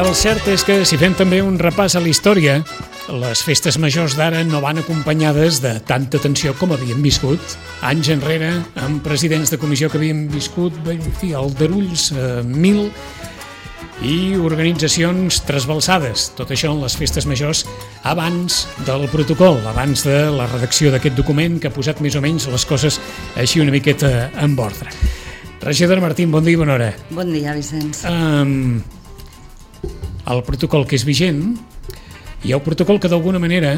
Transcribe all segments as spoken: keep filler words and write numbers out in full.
El cert és que si fem també un repàs a la història, les festes majors d'ara no van acompanyades de tanta tensió com havíem viscut anys enrere, amb presidents de comissió que havien viscut, en fi, aldarulls eh, mil i organitzacions trasbalsades. Tot això en les festes majors abans del protocol, abans de la redacció d'aquest document que ha posat més o menys les coses així una miqueta en ordre. Regidora Martín, bon dia i bona hora. Bon dia, Vicenç. Um, el protocol que és vigent, hi ha un protocol que d'alguna manera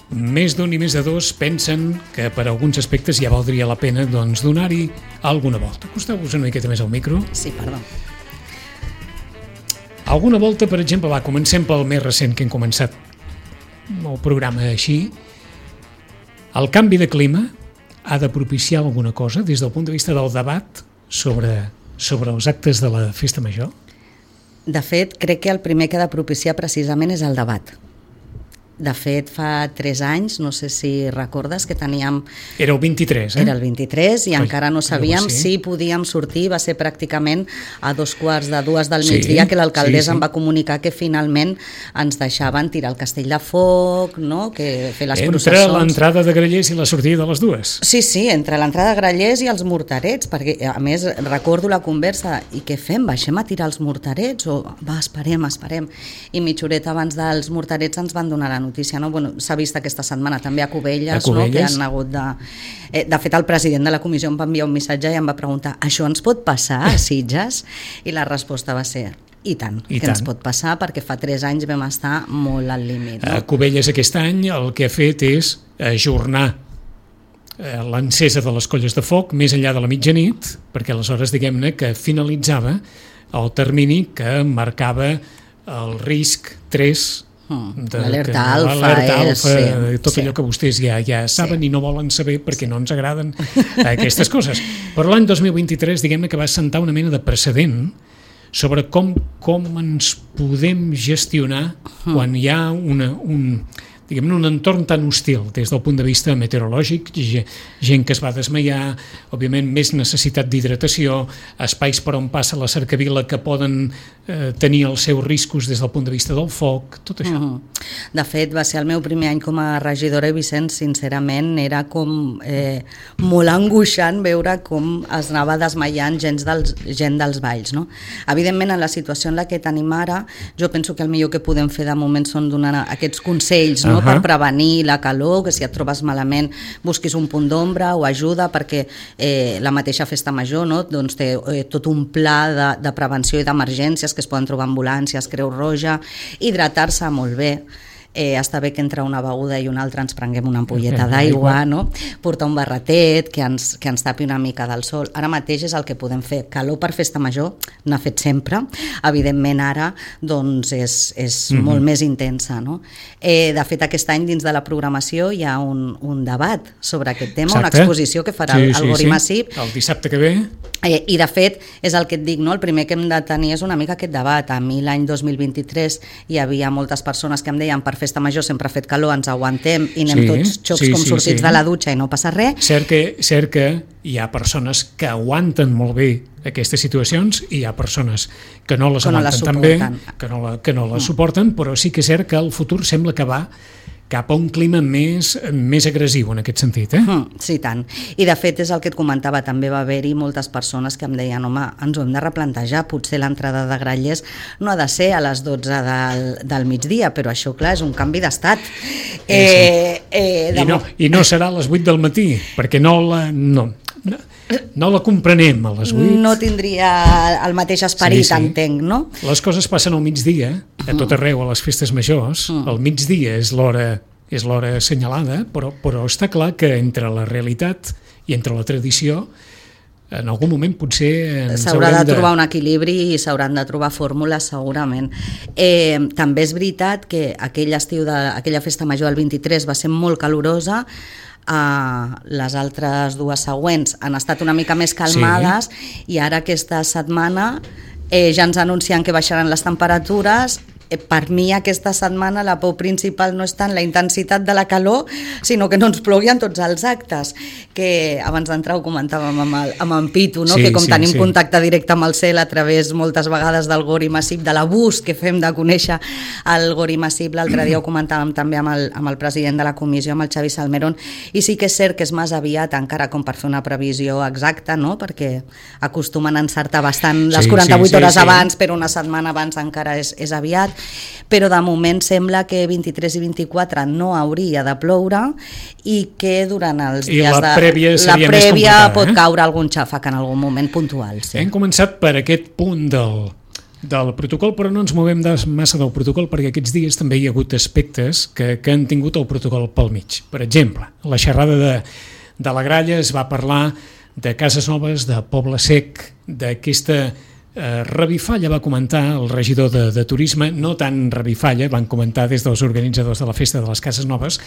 més d'un i més de dos pensen que per alguns aspectes ja valdria la pena doncs, donar-hi alguna volta. Acosteu-vos una miqueta més al micro. Sí, perdó. Alguna volta, per exemple, va, comencem pel més recent que hem començat el programa així. El canvi de clima ha de propiciar alguna cosa des del punt de vista del debat sobre, sobre els actes de la festa major? De fet, crec que el primer que ha de propiciar precisament és el debat. De fet, fa tres anys, no sé si recordes, que teníem... Era el vint-i-tres, eh? Era el vint-i-tres i Oi, encara no sabíem sí. si podíem sortir. Va ser pràcticament a dos quarts de dues del migdia sí, que l'alcaldessa sí, sí. em va comunicar que finalment ens deixaven tirar el castell de foc, no? Que fer les entre processons. Entre l'entrada de Grallers i la sortida de les dues. Sí, sí, entre l'entrada de Grallers i els morterets, perquè a més recordo la conversa, i què fem? Baixem a tirar els morterets? O va, esperem, esperem. I mitja horeta abans dels morterets ens van donar la notícia, no? Bueno, s'ha vist aquesta setmana també a Cubelles, a Cubelles. No? Que han hagut de... Eh, de fet, el president de la comissió em va enviar un missatge i em va preguntar, això ens pot passar a Sitges? I la resposta va ser, i tant, I que tant. ens pot passar, perquè fa tres anys vam estar molt al límit. No? A Cubelles aquest any el que ha fet és ajornar l'encesa de les colles de foc més enllà de la mitjanit, perquè aleshores diguem-ne que finalitzava el termini que marcava el risc tres l'alerta alfa, l'alerta alfa sí, tot sí. allò que vostès ja, ja saben sí. i no volen saber perquè sí. no ens agraden aquestes coses. Però l'any dos mil vint-i-tres diguem-ne que va assentar una mena de precedent sobre com, com ens podem gestionar quan hi ha una, un, diguem-ne, un entorn tan hostil des del punt de vista meteorològic, gent que es va desmaiar, òbviament més necessitat d'hidratació, espais per on passa la cercavila que poden eh, tenir els seus riscos des del punt de vista del foc, tot això. Uh-huh. De fet, va ser el meu primer any com a regidora i Vicenç, sincerament, era com eh, molt angoixant veure com es anava desmaiant gent dels, gent dels valls. No? Evidentment, en la situació en la que tenim ara, jo penso que el millor que podem fer de moment són donar aquests consells, no? Uh-huh. Per prevenir la calor, que si et trobes malament busquis un punt d'ombra o ajuda, perquè eh, la mateixa festa major, no? Doncs té eh, tot un pla de, de prevenció i d'emergències que es poden trobar ambulàncies, Creu Roja, hidratar-se molt bé. Eh, està bé que entre una beguda i una altra ens prenguem una ampolleta d'aigua, no? Portar un barretet que ens, que ens tapi una mica del sol. Ara mateix és el que podem fer. Calor per festa major n'ha fet sempre. Evidentment ara doncs és, és mm-hmm. molt més intensa, no? Eh, de fet, aquest any dins de la programació hi ha un, un debat sobre aquest tema, Exacte. Una exposició que farà sí, el, el sí, Gori sí. Massip. El dissabte que ve. Eh, I de fet és el que et dic, no? El primer que hem de tenir és una mica aquest debat. A mi l'any dos mil vint-i-tres hi havia moltes persones que em deien per festa major sempre ha fet calor, ens aguantem i anem sí, tots xocs sí, com sí, sortits sí. de la dutxa i no passa res. Cert que, cert que hi ha persones que aguanten molt bé aquestes situacions i hi ha persones que no les que aguanten no tan bé, que no, la, que no les mm. suporten, però sí que és cert que el futur sembla que va cap a un clima més, més agressiu en aquest sentit. Eh? Mm, sí, tant. I de fet és el que et comentava, també va haver-hi moltes persones que em deien, home, ens ho hem de replantejar, potser l'entrada de Grallers no ha de ser a les dotze del, del migdia, però això, clar, és un canvi d'estat. Eh, sí. eh, I, no, I no serà a les vuit del matí, perquè no la... No. No, no la comprenem a les vuit. No tindria el mateix esperit, sí, sí. entenc, no? Les coses passen al migdia, a tot arreu, a les festes majors. Mm. El migdia és l'hora és l'hora assenyalada, però, però està clar que entre la realitat i entre la tradició en algun moment potser s'haurà de trobar de... un equilibri i s'hauran de trobar fórmules segurament. Eh, també és veritat que aquell estiu de, aquella festa major del vint-i-tres va ser molt calorosa. Uh, les altres dues següents han estat una mica més calmades sí. i ara aquesta setmana eh, ja ens anuncien que baixaran les temperatures per mi aquesta setmana la por principal no és tant la intensitat de la calor, sinó que no ens plogui en tots els actes, que abans d'entrar ho comentàvem amb, el, amb en Pitu, no? Sí, que com sí, tenim sí. contacte directe amb el cel a través moltes vegades del Gori Massip, de l'abús que fem de conèixer el Gori Massip, l'altre dia ho comentàvem també amb el, amb el president de la comissió, amb el Xavi Salmerón, i sí que és cert que és massa aviat encara com per fer una previsió exacta, no? Perquè acostumen a encertar bastant les sí, quaranta-vuit sí, hores sí, abans, sí. però una setmana abans encara és, és aviat, però de moment sembla que vint-i-tres i vint-i-quatre no hauria de ploure i que durant els I dies la de... prèvia la prèvia pot eh? caure algun xàfec en algun moment puntual. Sí. Hem començat per aquest punt del, del protocol, però no ens movem de massa del protocol perquè aquests dies també hi ha hagut aspectes que, que han tingut el protocol pel mig. Per exemple, la xerrada de, de la Gralla es va parlar de Cases Noves, de Poble Sec, d'aquesta eh, revifalla, va comentar el regidor de, de Turisme, no tan revifalla, van comentar des dels organitzadors de la Festa de les Cases Noves,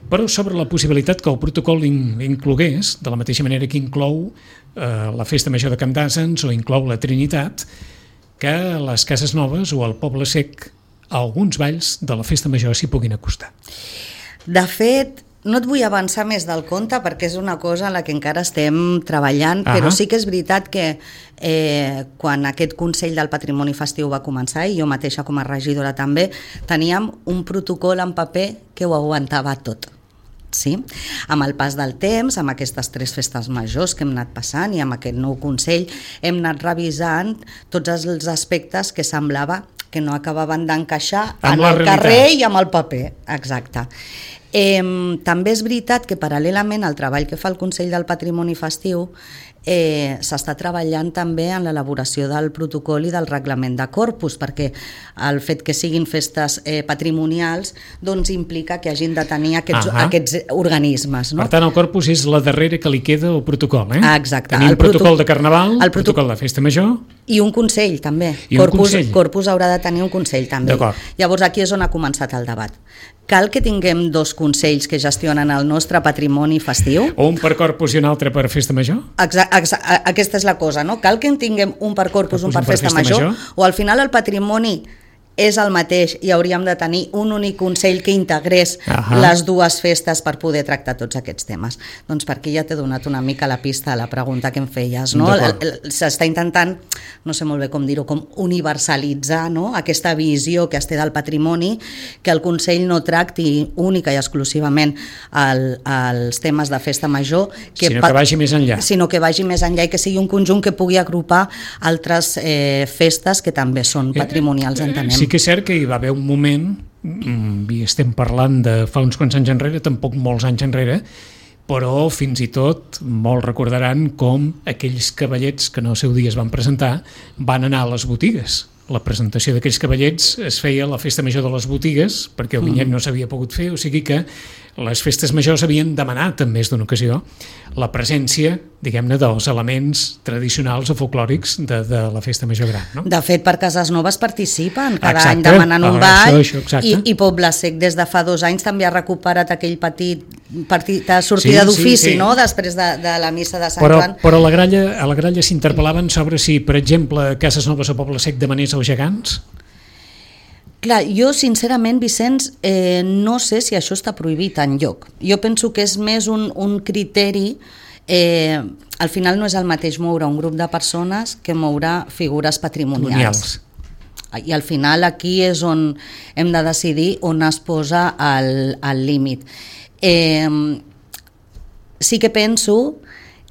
però sobre la possibilitat que el protocol in, inclogués, de la mateixa manera que inclou eh, la Festa Major de Camp d'Àsens o inclou la Trinitat, que a les Cases Noves o al Poble Sec alguns balls de la Festa Major s'hi puguin acostar. De fet, no et vull avançar més del compte perquè és una cosa en la que encara estem treballant, ah, però sí que és veritat que eh, quan aquest Consell del Patrimoni Festiu va començar, i jo mateixa com a regidora també, teníem un protocol en paper que ho aguantava tot. Sí? Amb el pas del temps, amb aquestes tres festes majors que hem anat passant i amb aquest nou Consell hem anat revisant tots els aspectes que semblava que no acabaven d'encaixar en el carrer i amb el paper. Exacte. Eh, també és veritat que paral·lelament al treball que fa el Consell del Patrimoni Festiu eh, s'està treballant també en l'elaboració del protocol i del reglament de corpus, perquè el fet que siguin festes eh, patrimonials doncs implica que hagin de tenir aquests, aquests organismes. No? Per tant, el corpus és la darrera que li queda al protocol. Eh? Exacte. Tenim el protocol proto... de Carnaval, el proto... protocol de Festa Major... I un Consell, també. I corpus, un Consell. Corpus haurà de tenir un Consell, també. Llavors, aquí és on ha començat el debat. Cal que tinguem dos consells que gestionen el nostre patrimoni festiu? O un per Corpus i un altre per Festa Major? Exacte, exa- aquesta és la cosa, no? Cal que en tinguem un per Corpus, corpus un per, un per Festa, festa major, major, o al final el patrimoni és el mateix i hauríem de tenir un únic consell que integrés Ahà. les dues festes per poder tractar tots aquests temes. Doncs per aquí ja t'he donat una mica la pista a la pregunta que em feies, no? S'està intentant, no sé molt bé com dir-ho, com universalitzar, no? Aquesta visió que es té del patrimoni, que el Consell no tracti única i exclusivament el, els temes de festa major, que sinó que vagi més enllà. Sinó que vagi més enllà i que sigui un conjunt que pugui agrupar altres eh, festes que també són patrimonials, entenem. Sí que és cert que hi va haver un moment, i estem parlant de fa uns quants anys enrere, tampoc molts anys enrere, però fins i tot molts recordaran com aquells cavallets que no al seu dia es van presentar van anar a les botigues. La presentació d'aquells cavallets es feia a la Festa Major de les botigues perquè el vinyet no s'havia pogut fer, o sigui que les festes majors havien demanat en més d'una ocasió la presència, diguem-ne, dels elements tradicionals o folclòrics de, de la Festa Major Gran. No? De fet, per Cases Noves participen cada exacte. any demanant un ah, ball això, això, i, i Poble Sec des de fa dos anys també ha recuperat aquell petit partit de sortida sí, d'ofici, sí, sí. no? Després de, de la missa de Sant però, Joan. Però a la Gralla, a la Gralla s'interpel·laven sobre si, per exemple, Cases Noves o Poble Sec demanés els gegants? Clar, jo sincerament, Vicenç, eh, no sé si això està prohibit enlloc. Jo penso que és més un, un criteri, eh, al final no és el mateix moure un grup de persones que moure figures patrimonials. I al final aquí és on hem de decidir on es posa el, el límit. Eh, sí que penso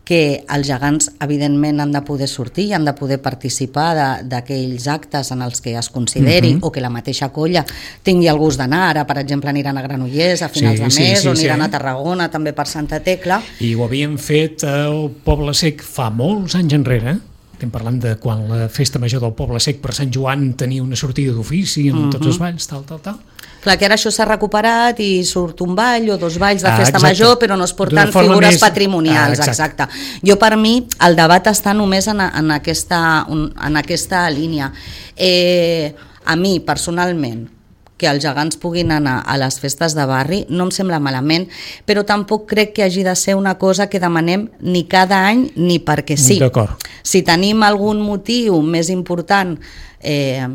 que els gegants evidentment han de poder sortir i han de poder participar d'aquells actes en els que es consideri uh-huh. o que la mateixa colla tingui el gust d'anar. Ara, per exemple, aniran a Granollers a finals sí, de mes sí, sí, o aniran sí. a Tarragona també per Santa Tecla. I ho havien fet al Poble Sec fa molts anys enrere. Estem parlant de quan la Festa Major del Poble Sec per Sant Joan tenia una sortida d'ofici amb uh-huh. tots els balls, tal, tal, tal. Clar, que ara això s'ha recuperat i surt un ball o dos balls de festa ah, major, però no es porten figures més... patrimonials. Ah, exacte. exacte. Jo, per mi, el debat està només en, en, aquesta, en aquesta línia. Eh, a mi, personalment, que els gegants puguin anar a les festes de barri no em sembla malament, però tampoc crec que hagi de ser una cosa que demanem ni cada any ni perquè sí. D'acord. Si tenim algun motiu més important, eh,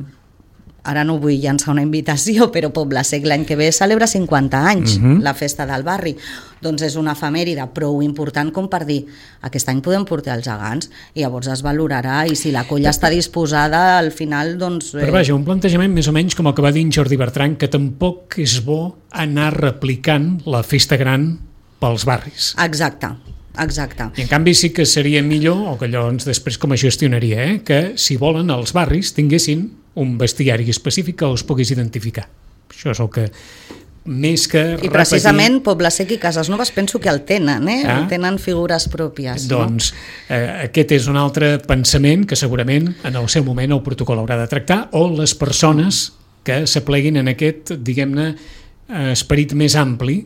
ara no vull llançar una invitació, però Poble Sec l'any que ve celebra cinquanta anys, uh-huh. la festa del barri. Doncs és una efemèride prou important com per dir aquest any podem portar els gegants i llavors es valorarà i si la colla està disposada al final doncs... Eh... Però vaja, un plantejament més o menys com el que va dir en Jordi Bertran, que tampoc és bo anar replicant la festa gran pels barris. Exacte. Exacte. I en canvi sí que seria millor, o que allò ens després com a gestionaria, eh, que si volen els barris tinguessin un bestiari específic que els pogués identificar. Això és el que més que repetir... I precisament Poble Sec i Cases Noves penso que el tenen, eh? Ah? Tenen figures pròpies. Doncs no? eh, aquest és un altre pensament que segurament en el seu moment el protocol haurà de tractar, o les persones que s'apleguin en aquest, diguem-ne, esperit més ampli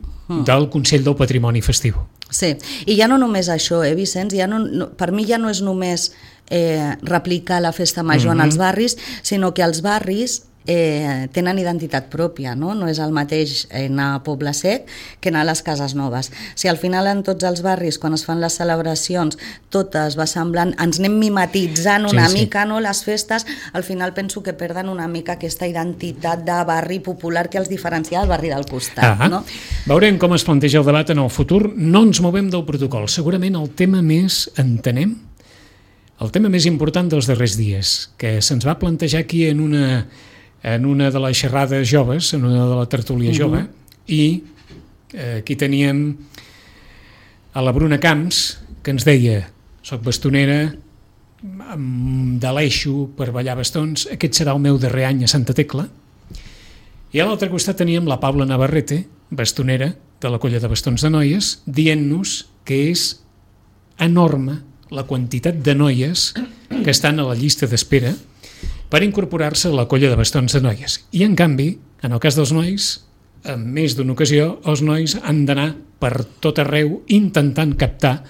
del Consell del Patrimoni Festiu. Sí, i ja no només això, eh, Vicenç? Ja no, no, per mi ja no és només eh, replicar la festa major mm-hmm. en els barris, sinó que els barris eh, tenen identitat pròpia, no? No és el mateix anar a Poble Sec que anar a les Cases Noves. Si al final en tots els barris, quan es fan les celebracions, totes va semblant, ens anem mimetitzant una sí, mica, sí. no? Les festes, al final penso que perden una mica aquesta identitat de barri popular que els diferencia del barri del costat. Ah, no? Veurem com es planteja el debat en el futur. No ens movem del protocol. Segurament el tema més, entenem, el tema més important dels darrers dies, que se'ns va plantejar aquí en una... en una de les xerrades joves, en una de la tertúlia uh-huh. jove, i eh, aquí teníem a la Bruna Camps, que ens deia, soc bastonera, de l'eixo per ballar bastons, aquest serà el meu darrer any a Santa Tecla, i a l'altre costat teníem la Paula Navarrete, bastonera de la colla de bastons de noies, dient-nos que és enorme la quantitat de noies que estan a la llista d'espera per incorporar-se a la colla de bastons de noies. I, en canvi, en el cas dels nois, en més d'una ocasió, els nois han d'anar per tot arreu intentant captar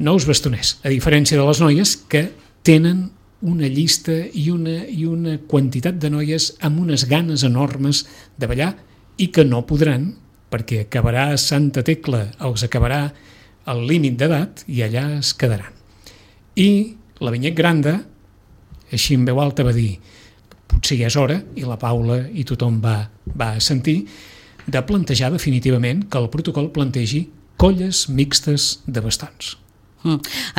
nous bastoners, a diferència de les noies que tenen una llista i una, i una quantitat de noies amb unes ganes enormes de ballar i que no podran, perquè acabarà Santa Tecla, els acabarà el límit d'edat i allà es quedaran. I la Vinyet Granda, així en veu alta, va dir potser ja és hora, i la Paula i tothom va, va sentir, de plantejar definitivament que el protocol plantegi colles mixtes de bastons.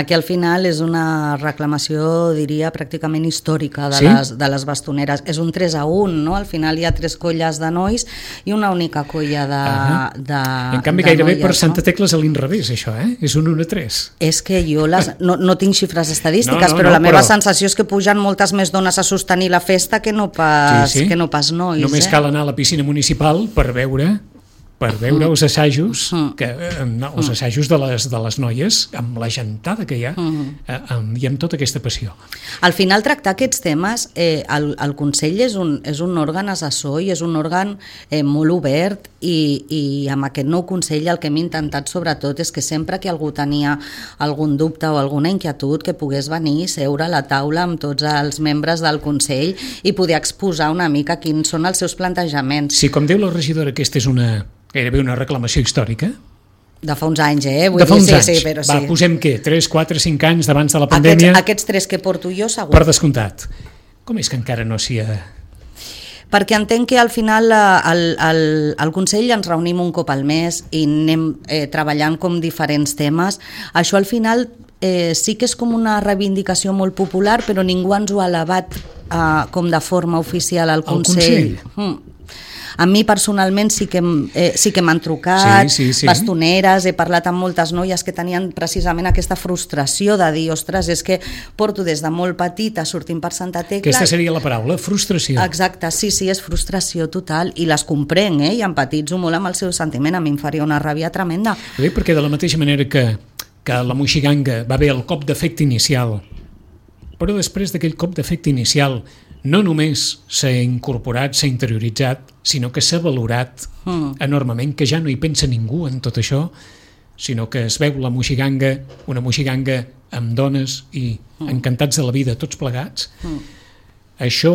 Aquí al final és una reclamació, diria, pràcticament històrica de, sí? les, de les bastoneres. És un tres a un, no? Al final hi ha tres colles de nois i una única colla de, uh-huh. de En canvi, de gairebé noies, per Santa no? Tecla és a l'inrevés, això, eh? És un un a tres. És que jo les, no, no tinc xifres estadístiques, no, no, però no, la meva però... sensació és que pugen moltes més dones a sostenir la festa que no pas, sí, sí. Que no pas nois. Només eh? cal anar a la piscina municipal per veure... per veure els assajos que, no, els assajos de les, de les noies amb la gentada que hi ha eh, amb, i amb tota aquesta passió. Al final tractar aquests temes eh, el, el Consell és un, és un òrgan assessor i és un òrgan eh, molt obert i, i amb aquest nou Consell el que hem intentat sobretot és que sempre que algú tenia algun dubte o alguna inquietud que pogués venir, seure a la taula amb tots els membres del Consell i poder exposar una mica quins són els seus plantejaments. Sí, com diu la regidora, aquesta és una gairebé una reclamació històrica. De fa uns anys, eh? Vull de fa uns dir, anys. Sí, sí, però Va, sí. posem què? tres, quatre, cinc anys d'abans de la pandèmia? Aquests, aquests tres que porto jo, segur. Per descomptat. Com és que encara no s'hi ha... Perquè entenc que al final al, al, al Consell ens reunim un cop al mes i anem eh, treballant com diferents temes. Això al final eh, sí que és com una reivindicació molt popular, però ningú ens ho ha elevat eh, com de forma oficial al Consell. Al Consell? Mm. A mi personalment sí que, eh, sí que m'han trucat, sí, sí, sí. bastoneres, he parlat amb moltes noies que tenien precisament aquesta frustració de dir, ostres, és que porto des de molt petita sortint per Santa Tecla... Aquesta seria la paraula, frustració. Exacte, sí, sí, és frustració total i les comprenc, eh, i empatitzo molt amb el seu sentiment, a mi em faria una ràbia tremenda. Bé, perquè de la mateixa manera que, que la moixiganga va haver el cop d'efecte inicial, però després d'aquell cop d'efecte inicial no només s'ha incorporat, s'ha interioritzat, sinó que s'ha valorat mm. enormement, que ja no hi pensa ningú en tot això, sinó que es veu la moixiganga, una moixiganga amb dones i mm. encantats de la vida, tots plegats. Mm. Això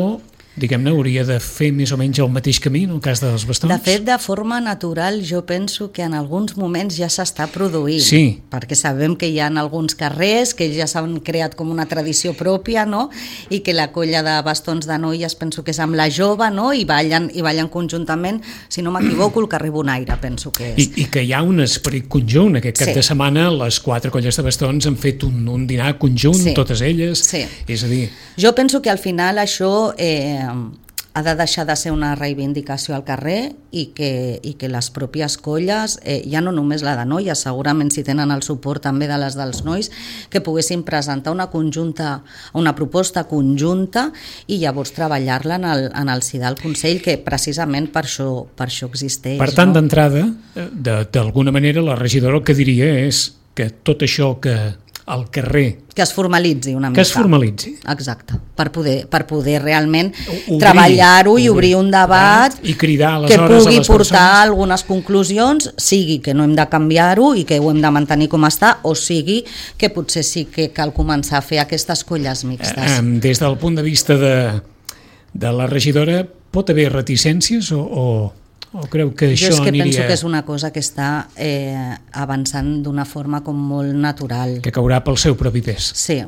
diguem-ne, hauria de fer més o menys el mateix camí en el cas dels bastons? De fet, de forma natural, jo penso que en alguns moments ja s'està produint, sí. perquè sabem que hi ha alguns carrers que ja s'han creat com una tradició pròpia, no? I que la colla de bastons de noies penso que és amb la jove, no? I ballen, i ballen conjuntament, si no m'equivoco, el carrer Bonaire, penso que és. I, i que hi ha un esperit conjunt. Aquest cap sí. de setmana les quatre colles de bastons han fet un, un dinar conjunt, sí. totes elles. Sí. És a dir... Jo penso que al final això... Eh, ha de deixar de ser una reivindicació al carrer i que, i que les pròpies colles, eh, ja no només la de noies, segurament si tenen el suport també de les dels nois, que poguessin presentar una conjunta, una proposta conjunta i llavors treballar-la en, el, en el si del Consell, que precisament per això, per això existeix. Per tant, no? d'entrada, d'alguna manera, la regidora el que diria és que tot això que al carrer... Que es formalitzi una mica. Que es formalitzi. Exacte, per poder, per poder realment obrir, treballar-ho i obrir un debat i cridar que pugui portar persones. algunes conclusions, sigui que no hem de canviar-ho i que ho hem de mantenir com està, o sigui que potser sí que cal començar a fer aquestes colles mixtes. Eh, des del punt de vista de, de la regidora, pot haver reticències o... o... o creu que jo això és que aniria... penso que és una cosa que està eh, avançant d'una forma com molt natural. Que caurà pel seu propi pes. Sí,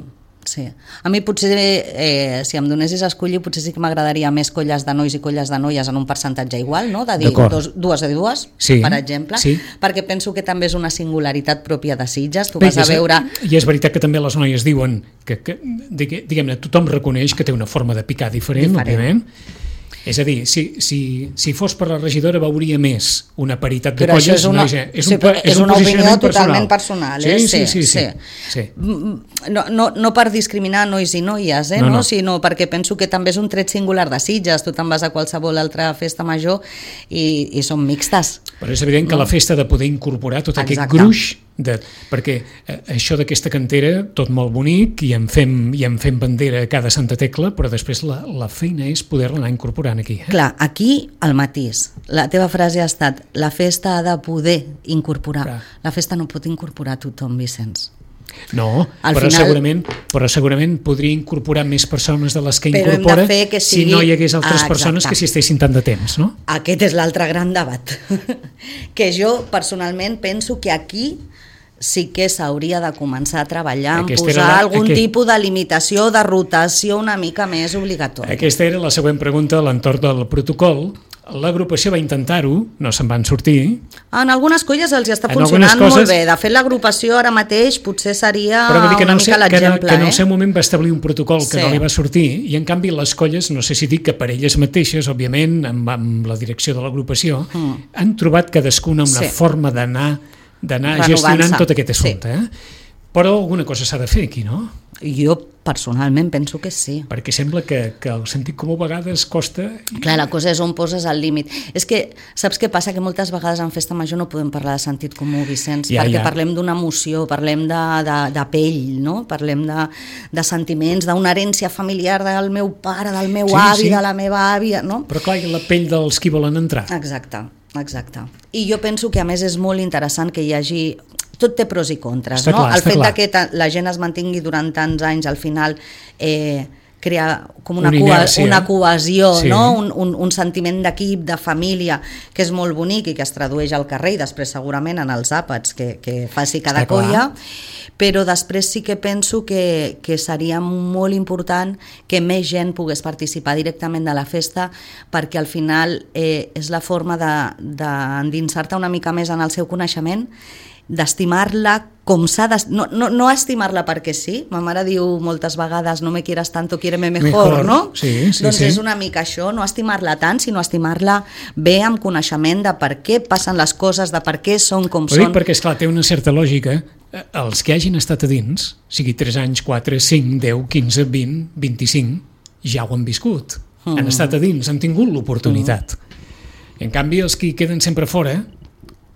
sí. A mi potser, eh, si em donessis a escollir, potser sí que m'agradaria més colles de nois i colles de noies en un percentatge igual, no? De dir dos, dues de dues, sí, per exemple, sí. perquè penso que també és una singularitat pròpia de Sitges. Tu vas a veure... I és veritat que també les noies diuen que, que diguem-ne, tothom reconeix que té una forma de picar diferent, diferent. òbviament. És a dir, si, si, si fos per la regidora veuria més una paritat de però colles. És una, no, és, és sí, un, és és un una opinió personal. totalment personal. Eh? Sí, sí, sí, sí, sí. sí. No, no, no per discriminar nois i noies, eh? no, no. No? Sinó perquè penso que també és un tret singular de Sitges. Tu te'n vas a qualsevol altra festa major i, i són mixtes. Però és evident que no? La festa de poder incorporar tot Exacte. Aquest gruix de, perquè eh, això d'aquesta cantera, tot molt bonic, i en fem, i en fem bandera a cada Santa Tecla, però després la, la feina és poder-la anar incorporant aquí. Eh? Clar, aquí el matís. La teva frase ha estat: la festa ha de poder incorporar. Clar. La festa no pot incorporar tothom, Vicenç. No, Al però, final, segurament, però segurament podria incorporar més persones de les que però incorpora que sigui... si no hi hagués altres ah, persones que s'hi estessin tant de temps, no? Aquest és l'altre gran debat. Que jo personalment penso que aquí sí que s'hauria de començar a treballar en Aquesta posar la, algun aquest... tipus de limitació, de rotació una mica més obligatòria. Aquesta era la següent pregunta a l'entorn del protocol. L'agrupació va intentar-ho, no se'n van sortir. En algunes colles els està en funcionant coses... molt bé. De fet, l'agrupació ara mateix potser seria una mica l'exemple. Que en el eh? seu moment va establir un protocol que sí. no li va sortir, i en canvi les colles, no sé si dic que per elles mateixes, òbviament, amb, amb la direcció de l'agrupació, mm. han trobat cadascuna una sí. forma d'anar d'anar gestionant tot aquest assumpte. Sí. Eh? Però alguna cosa s'ha de fer aquí, no? Jo personalment penso que sí. Perquè sembla que, que el sentit comú a vegades costa... Clar, la cosa és on poses el límit. És que, saps què passa? Que moltes vegades en festa major no podem parlar de sentit comú, Vicenç, ja, perquè ja. parlem d'una emoció, parlem de, de, de pell, no? Parlem de, de sentiments, d'una herència familiar del meu pare, del meu sí, avi, sí. de la meva àvia, no? Però clar, la pell dels qui volen entrar. Exacte, exacte. I jo penso que a més és molt interessant que hi hagi... Tot té pros i contres, està no? Clar, el fet clar. de que la gent es mantingui durant tants anys, al final eh, crea com una, una, inèrcia, una cohesió, sí. no? un, un, un sentiment d'equip, de família, que és molt bonic i que es tradueix al carrer i després segurament en els àpats que, que faci cada està colla, clar. Però després sí que penso que, que seria molt important que més gent pogués participar directament de la festa, perquè al final eh, és la forma d'endinsar-te una mica més en el seu coneixement, d'estimar-la com s'ha de... No, no, no estimar-la perquè sí, ma mare diu moltes vegades no me quieras tanto, quiéreme mejor, mejor. No? Sí, sí, doncs sí. És una mica això, no estimar-la tant, sinó estimar-la bé amb coneixement de per què passen les coses, de per què són com Ho són. Dic perquè, esclar, té una certa lògica. Els que hagin estat a dins, sigui tres anys, quatre, cinc, deu, quinze, vint, vint-i-cinc, ja ho han viscut. Mm. Han estat a dins, han tingut l'oportunitat. Mm. En canvi, els que queden sempre fora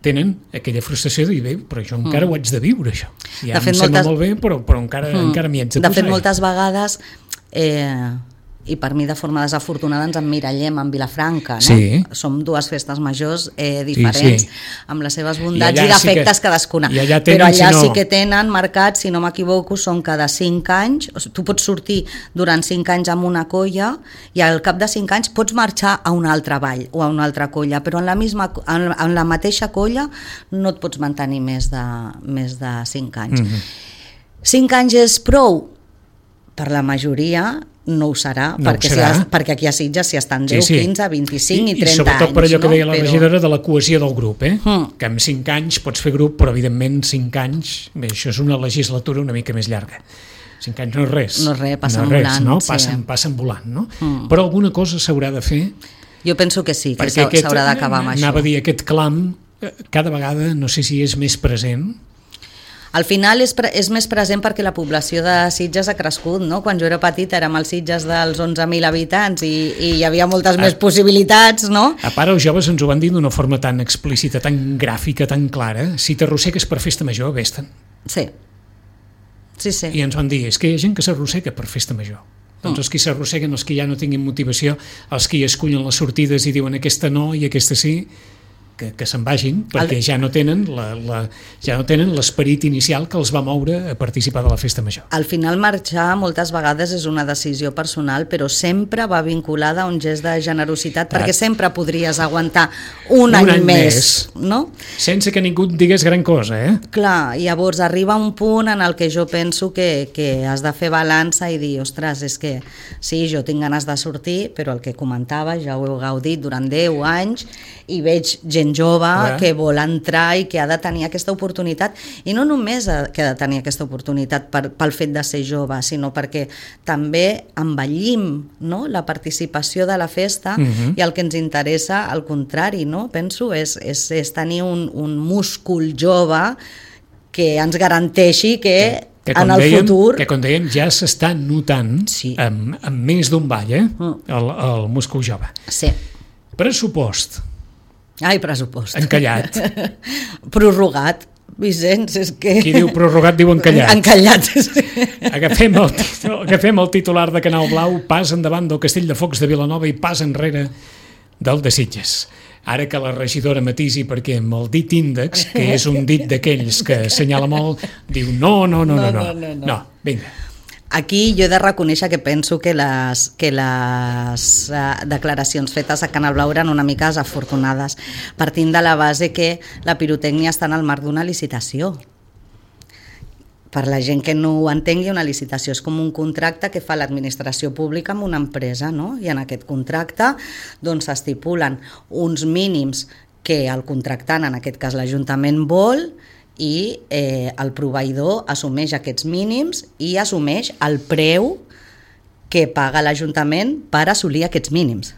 tenen aquella frustració de dir, bé, però jo encara mm. ho haig de viure, això. Ja de em sembla moltes... molt bé, però, però encara, mm. encara m'hi haig de, de posar. fet, moltes vegades eh, i per mi de forma desafortunada ens emmirallem en Vilafranca, no? Sí. Som dues festes majors eh, diferents, sí, sí. amb les seves bondats i, I defectes sí que, cadascuna, i allà tenen, però allà si no... sí que tenen marcat, si no m'equivoco, són cada cinc anys, o sigui, tu pots sortir durant cinc anys amb una colla i al cap de cinc anys pots marxar a una altra vall o a una altra colla, però en la, misma, en, en la mateixa colla no et pots mantenir més de, més de cinc anys. Mm-hmm. cinc anys és prou? Per la majoria no ho serà, no perquè, ho serà. Si has, perquè aquí a Sitges si estan deu, sí, sí. quinze, vint-i-cinc i, i trenta anys. I sobretot per allò que deia no? la però... regidora de la cohesió del grup, eh? Mm. Que amb cinc anys pots fer grup, però evidentment cinc anys, bé, això és una legislatura una mica més llarga. cinc anys no és res. No és res, passen no és res, volant. No? Sí. Passen, passen volant, no? Mm. Però alguna cosa s'haurà de fer. Jo penso que sí, que s'haurà d'acabar amb això. Anava a dir, aquest clam cada vegada, no sé si és més present. Al final és, pre és més present perquè la població de Sitges ha crescut, no? Quan jo era petita érem els Sitges dels onze mil habitants i, i hi havia moltes a, més possibilitats, no? A part, els joves ens ho van dir d'una forma tan explícita, tan gràfica, tan clara. Si t'arrossegues per festa major, vés-te'n. Sí. Sí, sí. I ens van dir, és que hi ha gent que s'arrossega per festa major. Doncs els que s'arrosseguen, els que ja no tinguin motivació, els que hi escullen les sortides i diuen aquesta no i aquesta sí, que, que se'n vagin, perquè ja no tenen la, la, ja no tenen l'esperit inicial que els va moure a participar de la festa major. Al final marxar moltes vegades és una decisió personal, però sempre va vinculada a un gest de generositat, Tat. perquè sempre podries aguantar un, un any, any més, més, no? Sense que ningú et digués gran cosa, eh? Clar, llavors arriba un punt en el que jo penso que, que has de fer balança i dir, ostres, és que sí, jo tinc ganes de sortir, però el que comentava, ja ho heu gaudit durant deu anys, i veig gent jove eh? que vol entrar i que ha de tenir aquesta oportunitat, i no només que ha de tenir aquesta oportunitat per, pel fet de ser jove, sinó perquè també envellim, no? La participació de la festa, uh-huh. i el que ens interessa al contrari, no? Penso és, és, és tenir un, un múscul jove que ens garanteixi que, que en el dèiem, futur... que com dèiem ja s'està notant sí. amb, amb més d'un ball, eh? uh. el, el múscul jove. Sí. Pressupost. Ai, pressupost. Encallat. Prorrogat. Vicenç, és que... Qui diu prorrogat diu encallat. Encallat, sí. Agafem el, agafem el titular de Canal Blau, pas endavant del Castell de Focs de Vilanova i pas enrere del de Sitges. Ara que la regidora matisi, perquè amb el dit índex, que és un dit d'aquells que assenyala molt, diu no, no, no, no, no, no, no, no. no vinga. Aquí jo he de reconèixer que penso que les, que les uh, declaracions fetes a Canal Blau eren una mica desafortunades, partint de la base que la pirotècnia està en el marc d'una licitació. Per la gent que no ho entengui, una licitació és com un contracte que fa l'administració pública amb una empresa, no? I en aquest contracte doncs s'estipulen uns mínims que el contractant, en aquest cas l'Ajuntament, vol, i eh, el proveïdor assumeix aquests mínims i assumeix el preu que paga l'Ajuntament per assolir aquests mínims.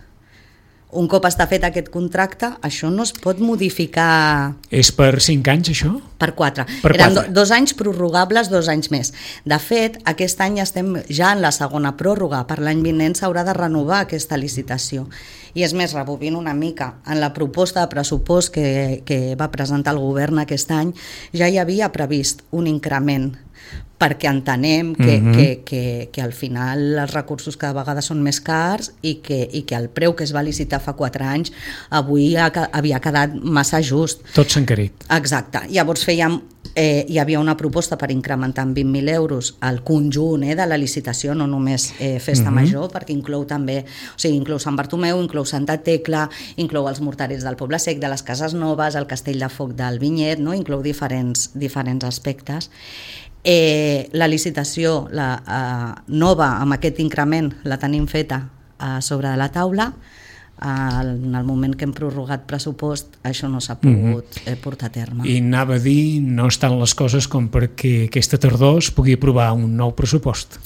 Un cop està fet aquest contracte, això no es pot modificar... És per cinc anys, això? Per quatre. Per Eren quatre. Do, dos anys prorrogables, dos anys més. De fet, aquest any estem ja en la segona pròrroga. Per l'any vinent s'haurà de renovar aquesta licitació. I és més, rebobint una mica, en la proposta de pressupost que, que va presentar el govern aquest any, ja hi havia previst un increment, perquè entenem que, uh-huh. que, que, que al final els recursos cada vegada són més cars i que, i que el preu que es va licitar fa quatre anys avui ha, havia quedat massa just. Tot s'ha encarit. Exacte. Llavors fèiem, eh, hi havia una proposta per incrementar en vint mil euros el conjunt eh, de la licitació, no només eh, festa uh-huh. major, perquè inclou també, o sigui, inclou Sant Bartomeu, inclou Santa Tecla, inclou els morterers del Poble Sec, de les Cases Noves, el Castell de Foc del Vinyet, no? Inclou diferents, diferents aspectes. Eh, la licitació la, eh, nova amb aquest increment la tenim feta eh, sobre de la taula. Eh, en el moment que hem prorrogat pressupost això no s'ha pogut mm-hmm. eh, portar a terme. I anava a dir, no estan les coses com perquè aquesta tardor es pugui aprovar un nou pressupost.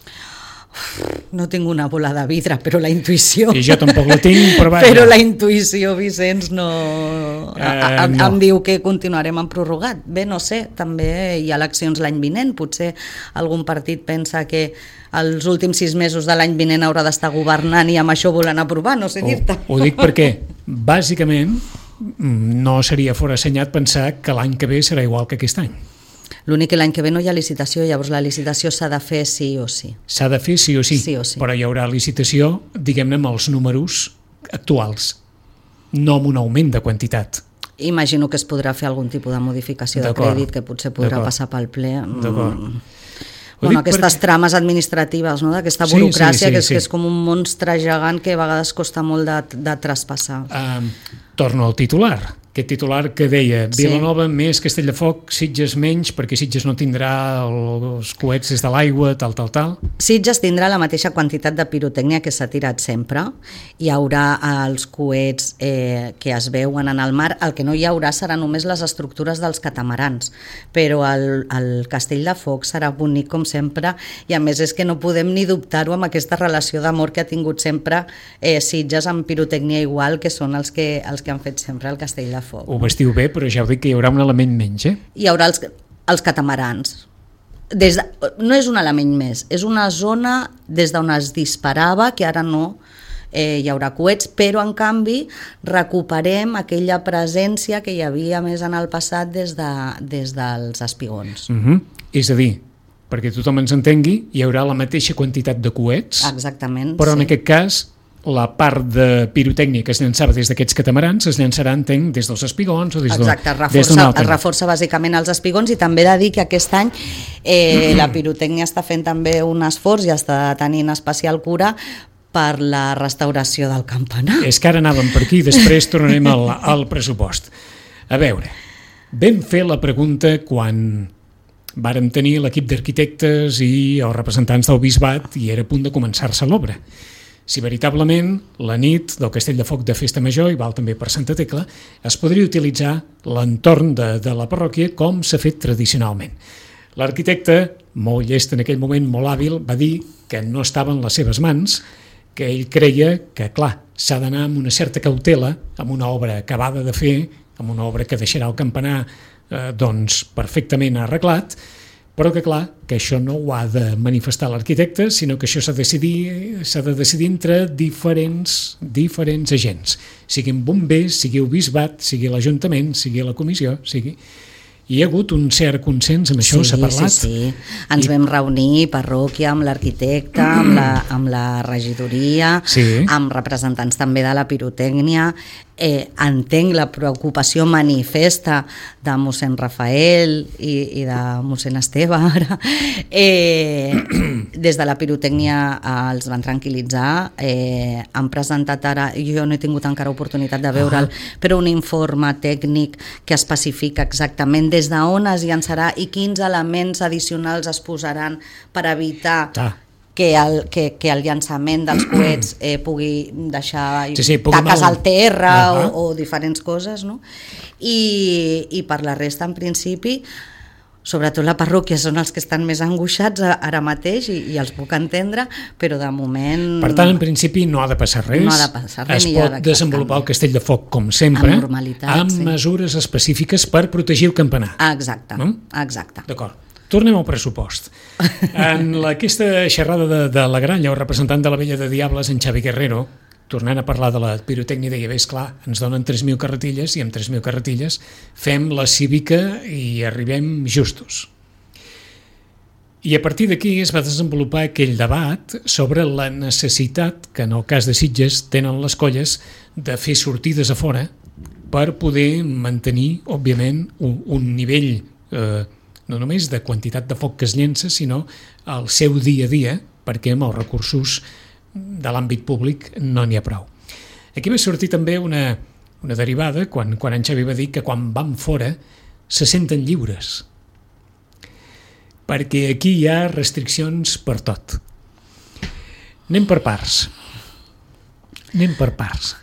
No tinc una bola de vidre, però la intuïció... I jo tampoc la tinc, però vaja. Però la intuïció, Vicenç, no... Uh, em, no. em diu que continuarem en prorrogat. Bé, no sé, també hi ha eleccions l'any vinent, potser algun partit pensa que els últims sis mesos de l'any vinent haurà d'estar governant i amb això volen aprovar, no sé dir-te. Ho, ho dic perquè, bàsicament, no seria forassenyat pensar que l'any que ve serà igual que aquest any. L'únic que l'any que ve no hi ha licitació, llavors la licitació s'ha de fer sí o sí. S'ha de fer sí o sí, sí, o sí. Però hi haurà licitació, diguem-ne, amb els números actuals, no amb un augment de quantitat. Imagino que es podrà fer algun tipus de modificació de crèdit que potser podrà passar pel ple. D'acord. Bueno, aquestes perquè... trames administratives, no? D'aquesta burocràcia, sí, sí, sí, que, és, sí. que és com un monstre gegant que a vegades costa molt de, de traspassar. Uh, torno al titular. Aquest titular que deia Vilanova sí. més Castelldefels, Sitges menys, perquè Sitges no tindrà els coets des de l'aigua, tal, tal, tal. Sitges tindrà la mateixa quantitat de pirotècnia que s'ha tirat sempre. Hi haurà els coets eh, que es veuen en el mar. El que no hi haurà serà només les estructures dels catamarans, però el, el Castell de Foc serà bonic com sempre, i a més és que no podem ni dubtar-ho amb aquesta relació d'amor que ha tingut sempre eh, Sitges amb pirotècnia igual, que són els que, els que han fet sempre el Castell de Foc. Ho vestiu bé, però ja ho dic que hi haurà un element menys, eh? Hi haurà els, els catamarans. Des de, no és un element més, és una zona des d'on es disparava, que ara no eh, hi haurà coets, però en canvi recuperem aquella presència que hi havia més en el passat des, de, des dels espigons. Uh-huh. És a dir, perquè tothom ens entengui, hi haurà la mateixa quantitat de coets. Exactament. Però sí. en aquest cas la part de pirotècnia que es llançava des d'aquests catamarans es llançarà, entenc, des dels espigons o des d'un altre. Exacte, reforça, es reforça bàsicament els espigons, i també he de dir que aquest any eh, la pirotècnia està fent també un esforç i està tenint especial cura per la restauració del campanar. És que ara anàvem per aquí i després tornarem al, al pressupost. A veure, vam fer la pregunta quan vàrem tenir l'equip d'arquitectes i els representants del bisbat i era a punt de començar-se l'obra. Si veritablement la nit del Castell de Foc de Festa Major, i val també per Santa Tecla, es podria utilitzar l'entorn de, de la parròquia com s'ha fet tradicionalment. L'arquitecte, molt llest en aquell moment, molt hàbil, va dir que no estava en les seves mans, que ell creia que, clar, s'ha d'anar amb una certa cautela, amb una obra acabada de fer, amb una obra que deixarà el campanar eh, doncs, perfectament arreglat, però que clar, que això no ho ha de manifestar l'arquitecte, sinó que això s'ha de decidir, s'ha de decidir entre diferents, diferents agents, siguin bombers, sigui el bisbat, sigui l'Ajuntament, sigui la comissió, sigui... Hi ha hagut un cert consens amb això, sí, s'ha parlat? Sí, sí, ens I... vam reunir parròquia amb l'arquitecte, amb, la, amb la regidoria, sí. amb representants també de la pirotècnia. Eh, entenc la preocupació manifesta de mossèn Rafael i, i de mossèn Esteve ara. Eh, des de la pirotècnia eh, els van tranquil·litzar, eh, han presentat ara, jo no he tingut encara oportunitat de veure'l, ah. però un informe tècnic que especifica exactament des d'on es llançarà i quins elements addicionals es posaran per evitar ah. que el, que, que el llançament dels coets eh, pugui deixar sí, sí, taques al terra uh-huh. o, o diferents coses, no? I, i per la resta, en principi, sobretot la parròquia són els que estan més angoixats ara mateix i, i els puc entendre, però de moment... Per tant, en principi no ha de passar res, no ha de passar res es pot desenvolupar el Castell de Foc com sempre, amb, amb sí. mesures específiques per protegir el campanar. Exacte, no? exacte. D'acord. Tornem al pressupost. En la, aquesta xerrada de, de la Gralla, el representant de la Vella de Diables, en Xavi Guerrero, tornant a parlar de la pirotècnia, deia, bé, esclar, ens donen tres mil carretilles i amb tres mil carretilles fem la cívica i arribem justos. I a partir d'aquí es va desenvolupar aquell debat sobre la necessitat que en el cas de Sitges tenen les colles de fer sortides a fora per poder mantenir, òbviament, un, un nivell eh, no només de quantitat de foc que es llença, sinó el seu dia a dia, perquè amb els recursos de l'àmbit públic no n'hi ha prou. Aquí va sortir també una, una derivada, quan, quan en Xavi va dir que quan van fora se senten lliures, perquè aquí hi ha restriccions per tot. Anem per parts. Anem per parts.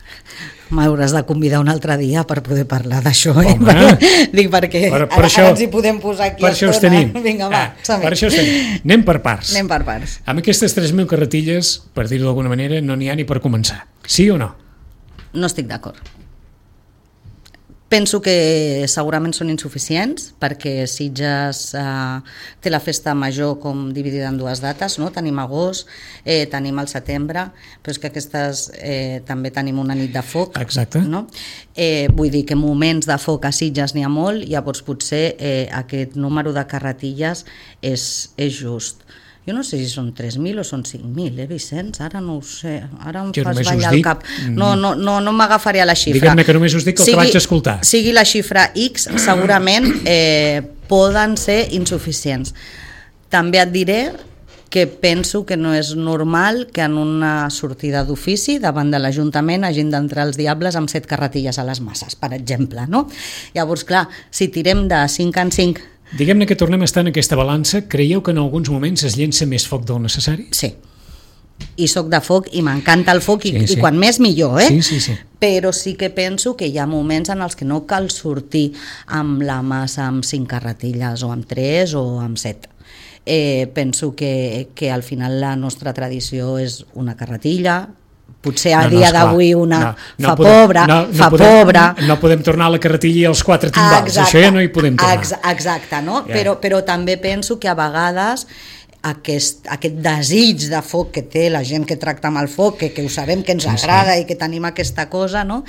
M'hauràs de convidar un altre dia per poder parlar d'això, eh? Perquè, dic perquè per, per ara, això, ara ens hi podem posar aquí per això tenim. Vinga, va, ah, per això tenim. Anem per parts. Anem per parts. Amb aquestes tres mil carretilles, per dir-ho d'alguna manera, no n'hi ha ni per començar. Sí o no? No estic d'acord. Penso que segurament són insuficients perquè Sitges eh, té la festa major com dividida en dues dates, no? Tenim agost, eh, tenim el setembre, però és que aquestes eh, també tenim una nit de foc. Exacte. No? Eh, vull dir que moments de foc a Sitges n'hi ha molt, llavors potser eh, aquest número de carretilles és, és just. Jo no sé si són tres mil o són cinc mil, eh, Vicenç? Ara no ho sé, ara em jo fas ballar el cap. No, no, no, no m'agafaré a la xifra. Diguem-ne que només us dic el sigui, que vaig escoltar. Sigui la xifra X, segurament eh, poden ser insuficients. També et diré que penso que no és normal que en una sortida d'ofici davant de l'Ajuntament hagin d'entrar els diables amb set carretilles a les masses, per exemple, no? Llavors, clar, si tirem de cinc en cinc... Diguem-ne que tornem a estar en aquesta balança. Creieu que en alguns moments es llença més foc del necessari? Sí. I soc de foc i m'encanta el foc i, sí, sí. i quan més millor, eh? Sí, sí, sí. Però sí que penso que hi ha moments en els que no cal sortir amb la massa amb cinc carretilles o amb tres o amb set. Eh, penso que, que al final la nostra tradició és una carretilla, potser a no, no, dia d'avui una no, no fa podem, pobra, no, no fa podem, pobra. No podem tornar a la carretilla i als quatre timbals, exacte, això ja no hi podem tornar. Exacte, no? Yeah. Però, però també penso que a vegades aquest, aquest desig de foc que té la gent que tracta amb el foc, que, que ho sabem que ens sí, agrada sí. i que tenim aquesta cosa, no?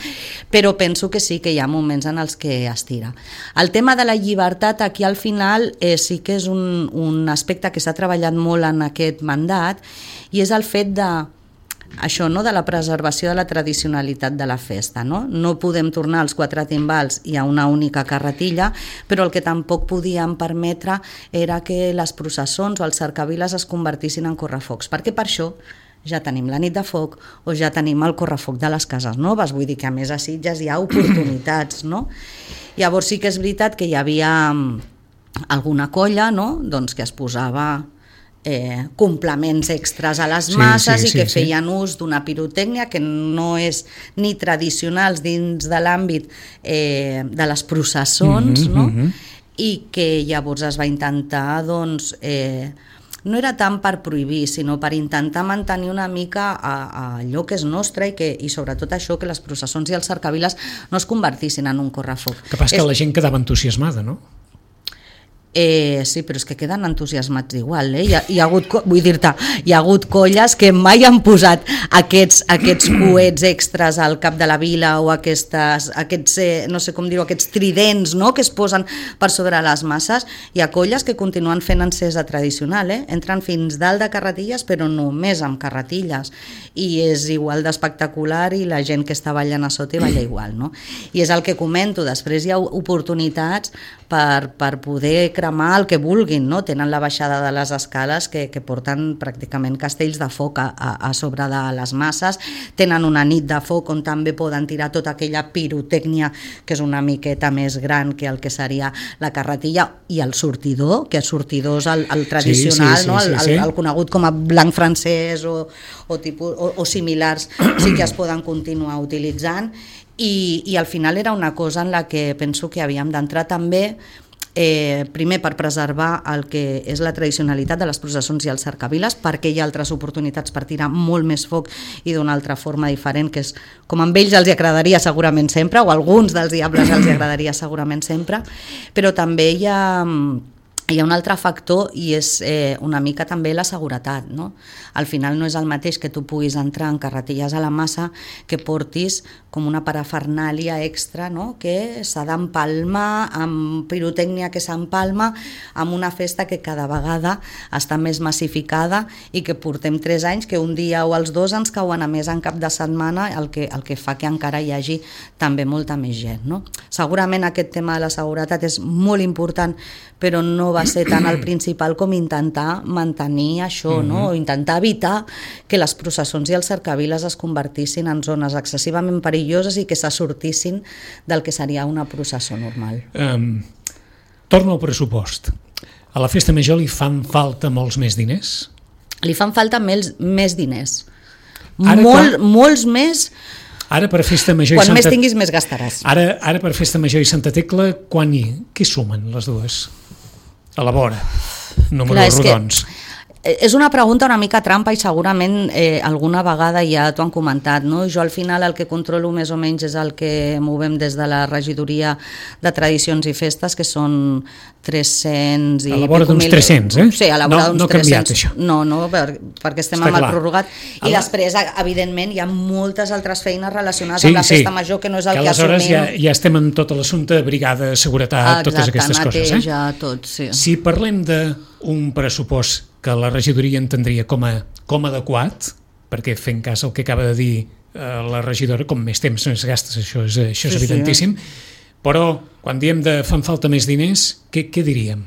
Però penso que sí que hi ha moments en els que es tira. El tema de la llibertat aquí al final eh, sí que és un, un aspecte que s'ha treballat molt en aquest mandat i és el fet de això, no, de la preservació de la tradicionalitat de la festa, no? No podem tornar als quatre timbals i a una única carretilla, però el que tampoc podíem permetre era que les processons o els cercaviles es convertissin en correfocs, perquè per això ja tenim la nit de foc o ja tenim el correfoc de les cases noves, vull dir que a més a Sitges hi ha oportunitats, no? Llavors sí que és veritat que hi havia alguna colla, no?, doncs que es posava Eh, complements extras a les masses sí, sí, i que sí, feien sí. ús d'una pirotècnia que no és ni tradicional dins de l'àmbit eh, de les processons, mm-hmm, no? Mm-hmm. I que llavors es va intentar, doncs, eh, no era tant per prohibir, sinó per intentar mantenir una mica a, a allò que és nostre i, que, i sobretot això, que les processons i els cercaviles no es convertissin en un correfoc. Que passa és... que la gent quedava entusiasmada, no? Eh, sí, però és que queden entusiasmats igual, eh? Hi ha, hi ha hagut, vull dir-te, hi ha hagut colles que mai han posat aquests, aquests coets extras al cap de la vila o aquestes, aquests, eh, no sé com dir-ho, aquests tridents, no?, que es posen per sobre les masses. Hi ha colles que continuen fent encesa tradicional, eh? Entren fins dalt de carretilles, però només amb carretilles, i és igual d'espectacular i la gent que està ballant a sota i balla igual, no? I és el que comento, després hi ha oportunitats per, per poder cremar el que vulguin, no? Tenen la baixada de les escales que, que porten pràcticament castells de foc a, a, a sobre de les masses, tenen una nit de foc on també poden tirar tota aquella pirotècnia que és una miqueta més gran que el que seria la carretilla, i el sortidor, que és sortidors el, el tradicional, sí, sí, sí, no? el, el, el conegut com a blanc francès o, o, tipus, o, o similars, sí que es poden continuar utilitzant. I, i al final era una cosa en la que penso que havíem d'entrar també, eh, primer per preservar el que és la tradicionalitat de les processons i els cercaviles, perquè hi ha altres oportunitats per tirar molt més foc i d'una altra forma diferent, que és com a ells els agradaria segurament sempre, o a alguns dels diables els agradaria segurament sempre, però també hi ha... Hi ha un altre factor i és eh, una mica també la seguretat, no? Al final no és el mateix que tu puguis entrar en carretilles a la massa que portis com una parafernàlia extra, no?, que s'ha d'empalmar amb pirotècnia que s'empalma amb una festa que cada vegada està més massificada i que portem tres anys que un dia o els dos ens cauen a més en cap de setmana, el que, el que fa que encara hi hagi també molta més gent, no? Segurament aquest tema de la seguretat és molt important, però no va ser tant el principal com intentar mantenir això, mm-hmm. no? O intentar evitar que les processons i els cercaviles es convertissin en zones excessivament perilloses i que se sortissin del que seria una processó normal. Um, torno al pressupost. A la festa major li fan falta molts més diners? Li fan falta més, més diners. Ara, Molt, quan... Molts més... Ara per festa major quan i Santa... més tinguis més gastaràs. Ara, ara per festa major i Santa Tecla, quan hi... Què sumen les dues? A la vora, números rodons. És una pregunta una mica trampa i segurament eh, alguna vegada ja t'ho han comentat, no? Jo al final el que controlo més o menys és el que movem des de la regidoria de tradicions i festes, que són tres-cents i... A la vora d'uns mil... tres-cents, eh? Sí, a la vora no, d'uns no tres-cents. No ha canviat, això. No, no, per, perquè estem Està amb clar. el prorrogat. I la... després, evidentment, hi ha moltes altres feines relacionades sí, amb la festa sí. major, que no és el que que assumim. Ja, ja estem amb tot l'assumpte de brigada, seguretat, Exacte, totes aquestes coses. Eh? Ja, tot, sí. Si parlem d'un pressupost que la regidoria entendria com a, com a adequat, perquè fent cas al que acaba de dir eh, la regidora, com més temps més gastes, això és, això és sí, evidentíssim, sí. Però quan diem de fan falta més diners, què, què diríem?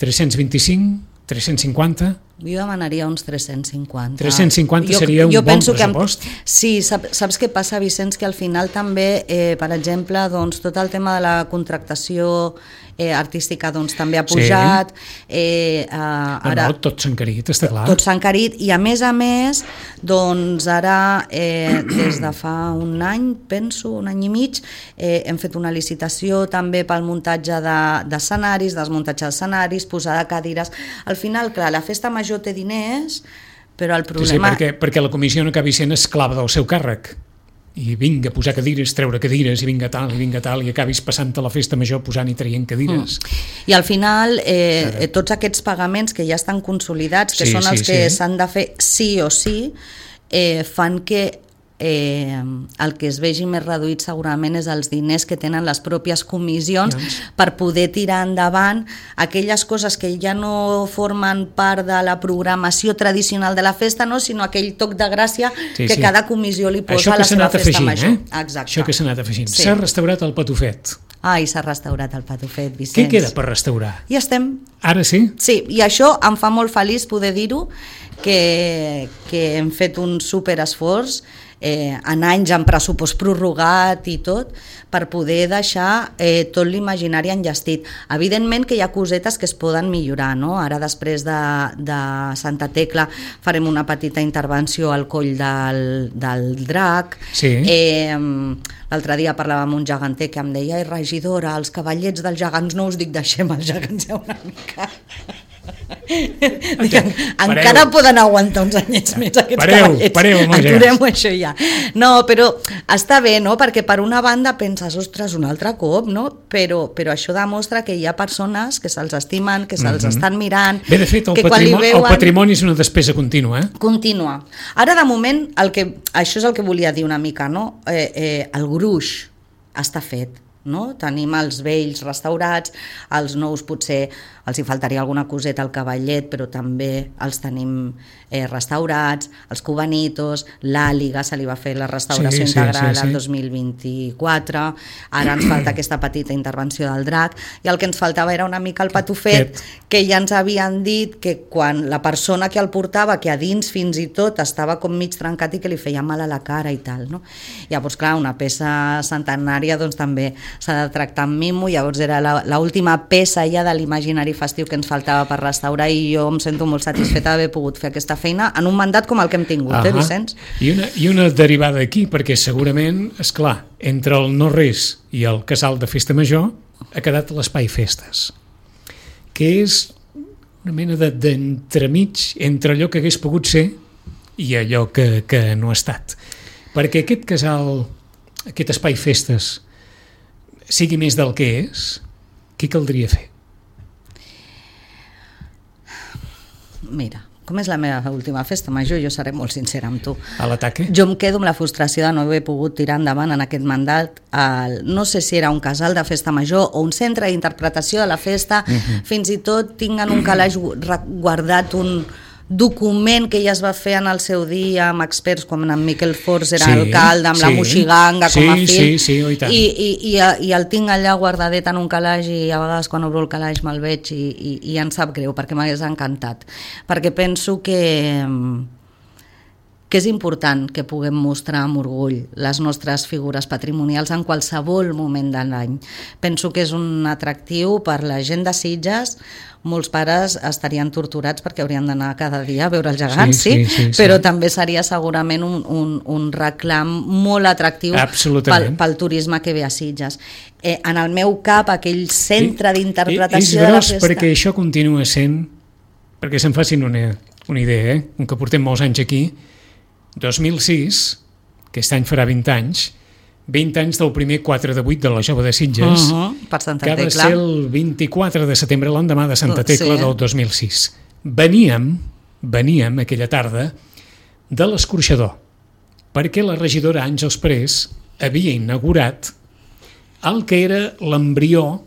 tres-cents vint-i-cinc? tres-cents cinquanta? Jo demanaria uns tres-cents cinquanta. tres-cents cinquanta seria un jo bon Que, pressupost? sí, saps, saps què passa, Vicenç? Que al final també, eh, per exemple, doncs, tot el tema de la contractació eh, artística doncs, també ha pujat. Sí. Eh, eh, ara, no, no, tot s'ha encarit, està clar. Tot s'ha encarit i a més a més, doncs ara, eh, des de fa un any, penso, un any i mig, eh, hem fet una licitació també pel muntatge d'escenaris, de, desmuntatge d'escenaris, posar de cadires. Al final, clar, la festa major té diners, però el problema... Sí, sí, perquè, perquè la comissió no acabi sent esclava del seu càrrec. I vinga, posar cadires, treure cadires, i vinga tal, i vinga tal, i acabis passant a la festa major posant i traient cadires. Mm. I al final, eh, eh, tots aquests pagaments que ja estan consolidats, que sí, són els sí, que sí. s'han de fer sí o sí, eh, fan que eh, el que es vegi més reduït segurament és els diners que tenen les pròpies comissions doncs. per poder tirar endavant aquelles coses que ja no formen part de la programació tradicional de la festa, no? Sinó aquell toc de gràcia sí, que sí. cada comissió li posa a la seva festa afegint, major. Eh? Exacte. Això que s'ha anat afegint. Sí. S'ha restaurat el patufet. Ai, s'ha restaurat el patufet, Vicenç. Què queda per restaurar? Ja estem. Ara sí? Sí, i això em fa molt feliç poder dir-ho, que, que hem fet un superesforç eh, en anys, en pressupost prorrogat i tot, per poder deixar eh, tot l'imaginari enllestit. Evidentment que hi ha cosetes que es poden millorar, no? Ara després de, de Santa Tecla farem una petita intervenció al coll del, del drac. Sí. Eh, l'altre dia parlava amb un geganter que em deia: ai, regidora, els cavallets dels gegants no us dic deixem els gegants ja una mica... Dic, encara poden aguantar uns anyets més aquests pareu, cavallets, pareu, aturem-ho això ja. No, però està bé, no? Perquè per una banda penses, ostres, un altre cop, no? Però, però això demostra que hi ha persones que se'ls estimen, que se'ls mm-hmm. estan mirant. Bé, de fet, el, que patrimoni, veuen... el patrimoni és una despesa contínua. Eh? Contínua. Ara, de moment, el que, això és el que volia dir una mica, no? Eh, eh, el gruix està fet. No? Tenim els vells restaurats, els nous potser els hi faltaria alguna coseta al cavallet, però també els tenim eh, restaurats, els cubanitos, l'àliga se li va fer la restauració sí, sí, integral sí, sí. el dos mil vint-i-quatre, ara ens falta aquesta petita intervenció del drac, i el que ens faltava era una mica el patufet, que ja ens havien dit que quan la persona que el portava, que a dins fins i tot estava com mig trencat i que li feia mal a la cara i tal, no? Llavors, clar, una peça centenària doncs també s'ha de tractar amb mimo, llavors era l'última peça ja de l'imaginari festiu que ens faltava per restaurar, i jo em sento molt satisfeta d'haver pogut fer aquesta feina en un mandat com el que hem tingut, uh-huh. eh, Vicenç? I una, I una derivada aquí, perquè segurament, és clar, entre el no-res i el casal de festa major ha quedat l'espai festes, que és una mena d'entremig entre allò que hagués pogut ser i allò que, que no ha estat. Perquè aquest casal, aquest espai festes, sigui més del que és, què caldria fer? Mira, com és la meva última festa major, jo seré molt sincera amb tu. A l'ataque? Jo em quedo amb la frustració de no haver pogut tirar endavant en aquest mandat el, no sé si era un casal de festa major o un centre d'interpretació de la festa, uh-huh. fins i tot tinc en un calaix guardat un document que ja es va fer en el seu dia amb experts com en Miquel Forns era sí, alcalde, amb sí, la Moixiganga com a sí, fill, sí, sí, oh, i, tant. I, i, i, i el tinc allà guardadet en un calaix, i a vegades quan obro el calaix me'l veig i, i, i em sap greu perquè m'hagués encantat, perquè penso que que és important que puguem mostrar amb orgull les nostres figures patrimonials en qualsevol moment de l'any. Penso que és un atractiu per la gent de Sitges. Molts pares estarien torturats perquè haurien d'anar cada dia a veure els gegants, sí, sí, sí, sí, però sí. també seria segurament un, un, un reclam molt atractiu pel, pel turisme que ve a Sitges. Eh, en el meu cap, aquell centre d'interpretació de la festa... És gros perquè això continua sent perquè se'n facin una, una idea, eh? Com que portem molts anys aquí, dos mil sis, aquest any farà vint anys, vint anys del primer quatre de vuit de la Jove de Sitges, uh-huh, per Santa que va Tecla. ser el vint-i-quatre de setembre, l'endemà de Santa Tecla, Sí. del dos mil sis. Veníem, veníem aquella tarda de l'Escorxador, perquè la regidora Àngels Parés havia inaugurat el que era l'embrió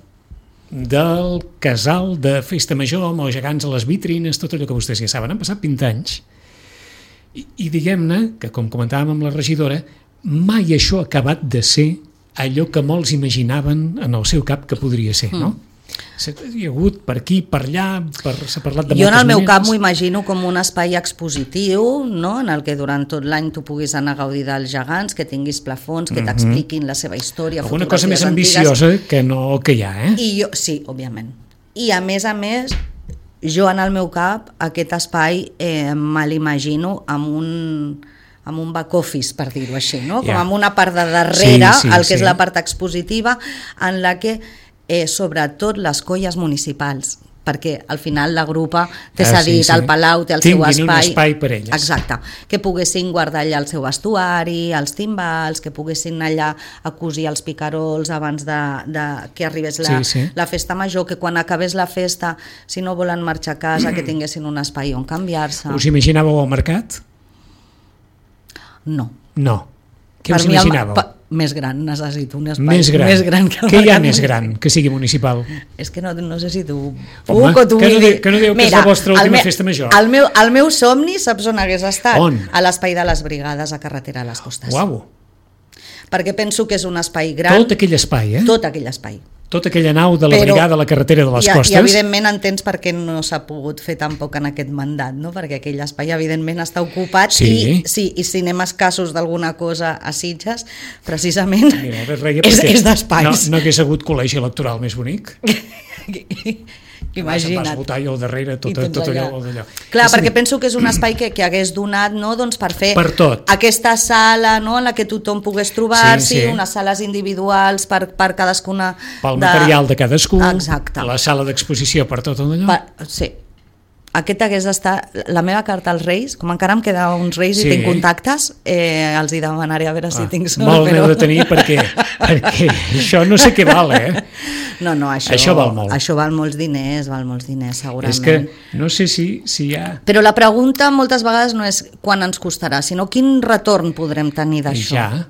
del casal de Festa Major amb els gegants a les vitrines, tot allò que vostès ja saben. Han passat vint anys i, i diguem-ne que, com comentàvem amb la regidora, mai això ha acabat de ser allò que molts imaginaven en el seu cap que podria ser, no? Mm. Hi ha hagut per aquí, per allà, per, s'ha parlat de jo moltes en el meu maneres. cap m'ho imagino com un espai expositiu, no? En el que durant tot l'any tu puguis anar a gaudir dels gegants, que tinguis plafons, que t'expliquin la seva història, alguna cosa més fotografies ambiciosa que no que hi ha, eh? I jo, sí, òbviament. I a més a més, jo en el meu cap aquest espai eh, me l'imagino amb un amb un back office, per dir-ho així, no? Com Ja. amb una part de darrere, Sí, sí, el que sí. és la part expositiva, en la que eh, sobretot les colles municipals, perquè al final la grupa té Ah, cedit sí, sí. al Palau, té el Tinguin seu un espai. espai per elles. Exacte. Que poguessin guardar allà el seu vestuari, els timbals, que poguessin allà a cosir els picarols abans de, de que arribés la, Sí, sí. la festa major, que quan acabés la festa, si no volen marxar a casa, que tinguessin un espai on canviar-se. Us imaginàveu al mercat? No. No. Què Per us mi el- imaginàveu? pa- més gran, necessito un espai Més gran. més gran que el Què hi ha mercat. més gran que sigui municipal? És que no, no sé si tu Home, puc o tu que no vull di- dir. que no dieu que és la vostra el última me- festa major. El meu, el meu somni, saps on hagués estat? On? A l'espai de les brigades a Carretera a les Costes. Uau! Perquè penso que és un espai gran. Tot aquell espai, eh? Tot aquell espai. Tota aquella nau de la Però- brigada a la carretera de les I, Costes. I evidentment entens per què no s'ha pogut fer tampoc en aquest mandat, no? Perquè aquell espai evidentment està ocupat Sí. i, sí, i si anem escassos d'alguna cosa a Sitges, precisament Mira, ara reia és, perquè és d'espais. No, no hagués hagut col·legi electoral més bonic. Vas Imagina't. votar i al darrere tot, I tens tot allò, allà. allò. Clar, És a perquè dir, penso que és un espai que, que hagués donat, no?, doncs per fer Per tot. aquesta sala, no?, en la que tothom pogués trobar-s'hi, Sí, sí. unes sales individuals per, per cadascuna... pel material de cadascú, Exacte. la sala d'exposició per tot allò. Per, sí. Aquest hagués d'estar... La meva carta als Reis, com encara em queda uns Reis Sí. i tinc contactes, eh, els hi demanaré a veure si Ah, tinc sort. molt però... n'heu de tenir perquè, perquè això no sé què val, eh? No, no, això, Això val molt. Això val molts diners, val molts diners, segurament. És que no sé si, si hi ha... Però la pregunta moltes vegades no és quan ens costarà, sinó quin retorn podrem tenir d'això. Ja,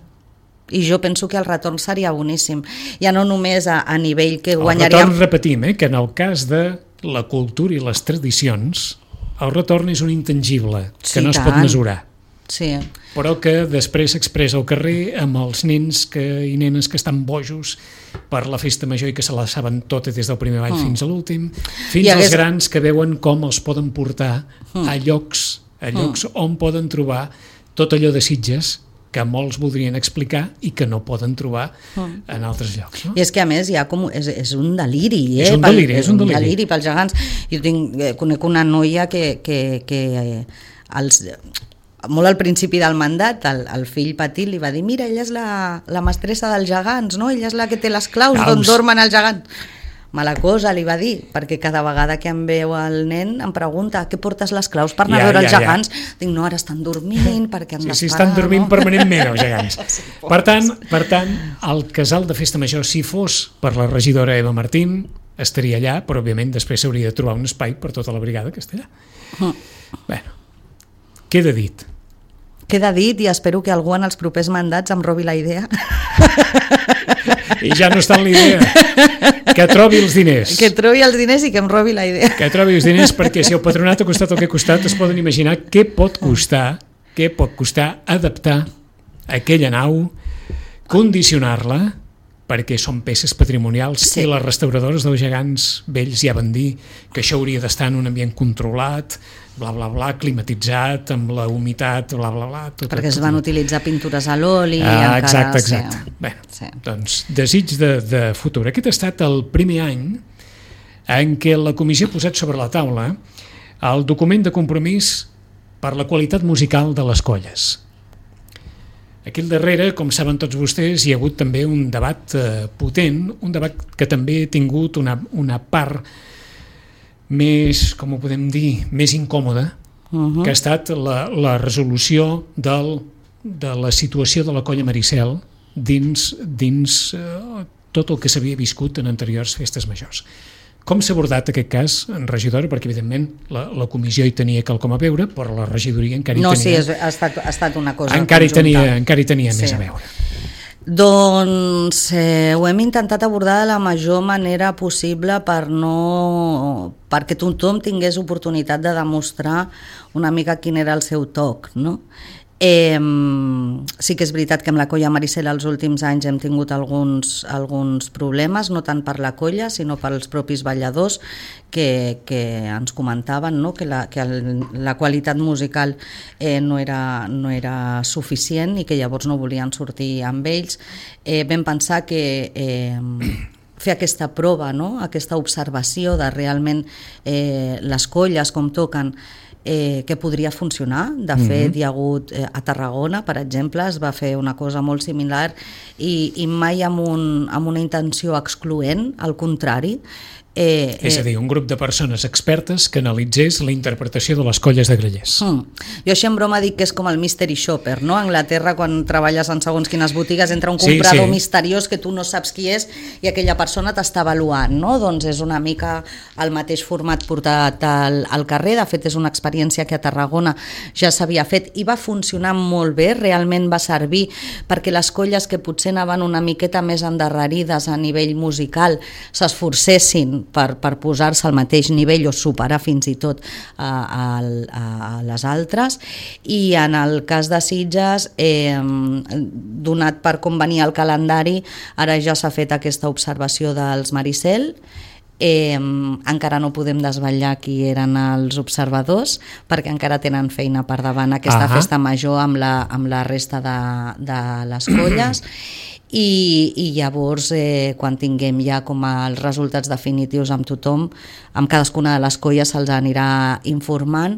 I jo penso que el retorn seria boníssim. Ja no només a, a nivell que el guanyaríem... retorn, repetim, eh, que en el cas de la cultura i les tradicions, el retorn és un intangible, que Sí, no es tant. pot mesurar, Sí. però que després s'expressa al carrer amb els nens que, i nenes que estan bojos per la festa major i que se la saben tota des del primer ball mm. fins a l'últim, fins I als hagués- grans que veuen com els poden portar mm. a llocs, a llocs mm. on poden trobar tot allò de Sitges que molts voldrien explicar i que no poden trobar mm. en altres llocs. No? I és que a més hi ha com, és, és un deliri, eh? És un Pel- deliri, és un deliri. pels gegants. Jo tinc, eh, conec una noia que, que, que eh, els, molt al principi del mandat el, el fill petit li va dir mira, ella és la, la mestressa dels gegants, no? Ella és la que té les claus Claus. d'on dormen els gegants. Mala cosa, li va dir, perquè cada vegada que em veu el nen em pregunta què portes les claus per anar Ja, a veure ja, els ja. gegants. Dic, no, ara estan dormint perquè han Sí, sí, d'esperar. estan dormint no? permanentment els gegants. Per tant, per tant, el casal de festa major, si fos per la regidora Eva Martín, estaria allà, però òbviament després s'hauria de trobar un espai per tota la brigada que està allà. Mm. Bueno, queda dit. Queda dit i espero que algú en els propers mandats em robi la idea. I ja no està en la idea. Que trobi els diners. Que trobi els diners i que em robi la idea. Que trobi els diners, perquè si el patronat ha costat el que ha costat, es poden imaginar què pot costar, què pot costar adaptar aquella nau, condicionar-la, perquè són peces patrimonials, Sí. i les restauradores dels gegants vells ja van dir que això hauria d'estar en un ambient controlat, bla, bla, bla, climatitzat, amb la humitat, bla, bla, bla... Tot, Perquè es tot, van tot. utilitzar pintures a l'oli. Ah, encara, exacte, sí. exacte. Bé, Sí. doncs, desig de, de futur. Aquest ha estat el primer any en què la comissió ha posat sobre la taula el document de compromís per la qualitat musical de les colles. Aquí al darrere, com saben tots vostès, hi ha hagut també un debat eh, potent, un debat que també ha tingut una, una part més, com ho podem dir, més incòmoda, uh-huh. que ha estat la, la resolució del, de la situació de la colla Maricel dins, dins eh, tot el que s'havia viscut en anteriors festes majors. Com s'ha abordat aquest cas, en regidora? Perquè, evidentment, la, la comissió hi tenia quelcom a veure, però la regidoria encara hi no, tenia... No, sí, és, ha, estat, ha estat una cosa encara hi tenia, encara hi tenia sí. més a veure. Doncs eh, ho hem intentat abordar de la major manera possible per no... perquè tothom tingués oportunitat de demostrar una mica quin era el seu toc, no? Eh, sí que és veritat que amb la colla Maricel els últims anys hem tingut alguns, alguns problemes, no tant per la colla sinó pels propis balladors que, que ens comentaven, no? que, la, que el, la qualitat musical eh, no, era, no era suficient i que llavors no volien sortir amb ells. Eh, vam pensar que eh, fer aquesta prova, no? Aquesta observació de realment eh, les colles com toquen, Eh, que podria funcionar. De fet, uh-huh. hi ha hagut eh, a Tarragona, per exemple, es va fer una cosa molt similar i, i mai amb, un, amb una intenció excloent, al contrari. Eh, és a dir, un grup de persones expertes que analitzés la interpretació de les colles de grallers. Hmm. Jo així en broma dic que és com el mystery shopper, no? A Anglaterra, quan treballes en segons quines botigues, entra un comprador sí, sí. misteriós que tu no saps qui és i aquella persona t'està avaluant, no? Doncs és una mica el mateix format portat al, al carrer. De fet, és una experiència que a Tarragona ja s'havia fet i va funcionar molt bé, realment va servir perquè les colles que potser anaven una miqueta més endarrerides a nivell musical s'esforcessin per, per posar-se al mateix nivell o superar fins i tot a, a, a les altres. I en el cas de Sitges, eh, donat per com venia el calendari, ara ja s'ha fet aquesta observació dels Maricel. Eh, encara no podem desvetllar qui eren els observadors perquè encara tenen feina per davant aquesta uh-huh. festa major amb la, amb la resta de, de les colles. I, i llavors eh, quan tinguem ja com els resultats definitius amb tothom, amb cadascuna de les colles se'ls anirà informant.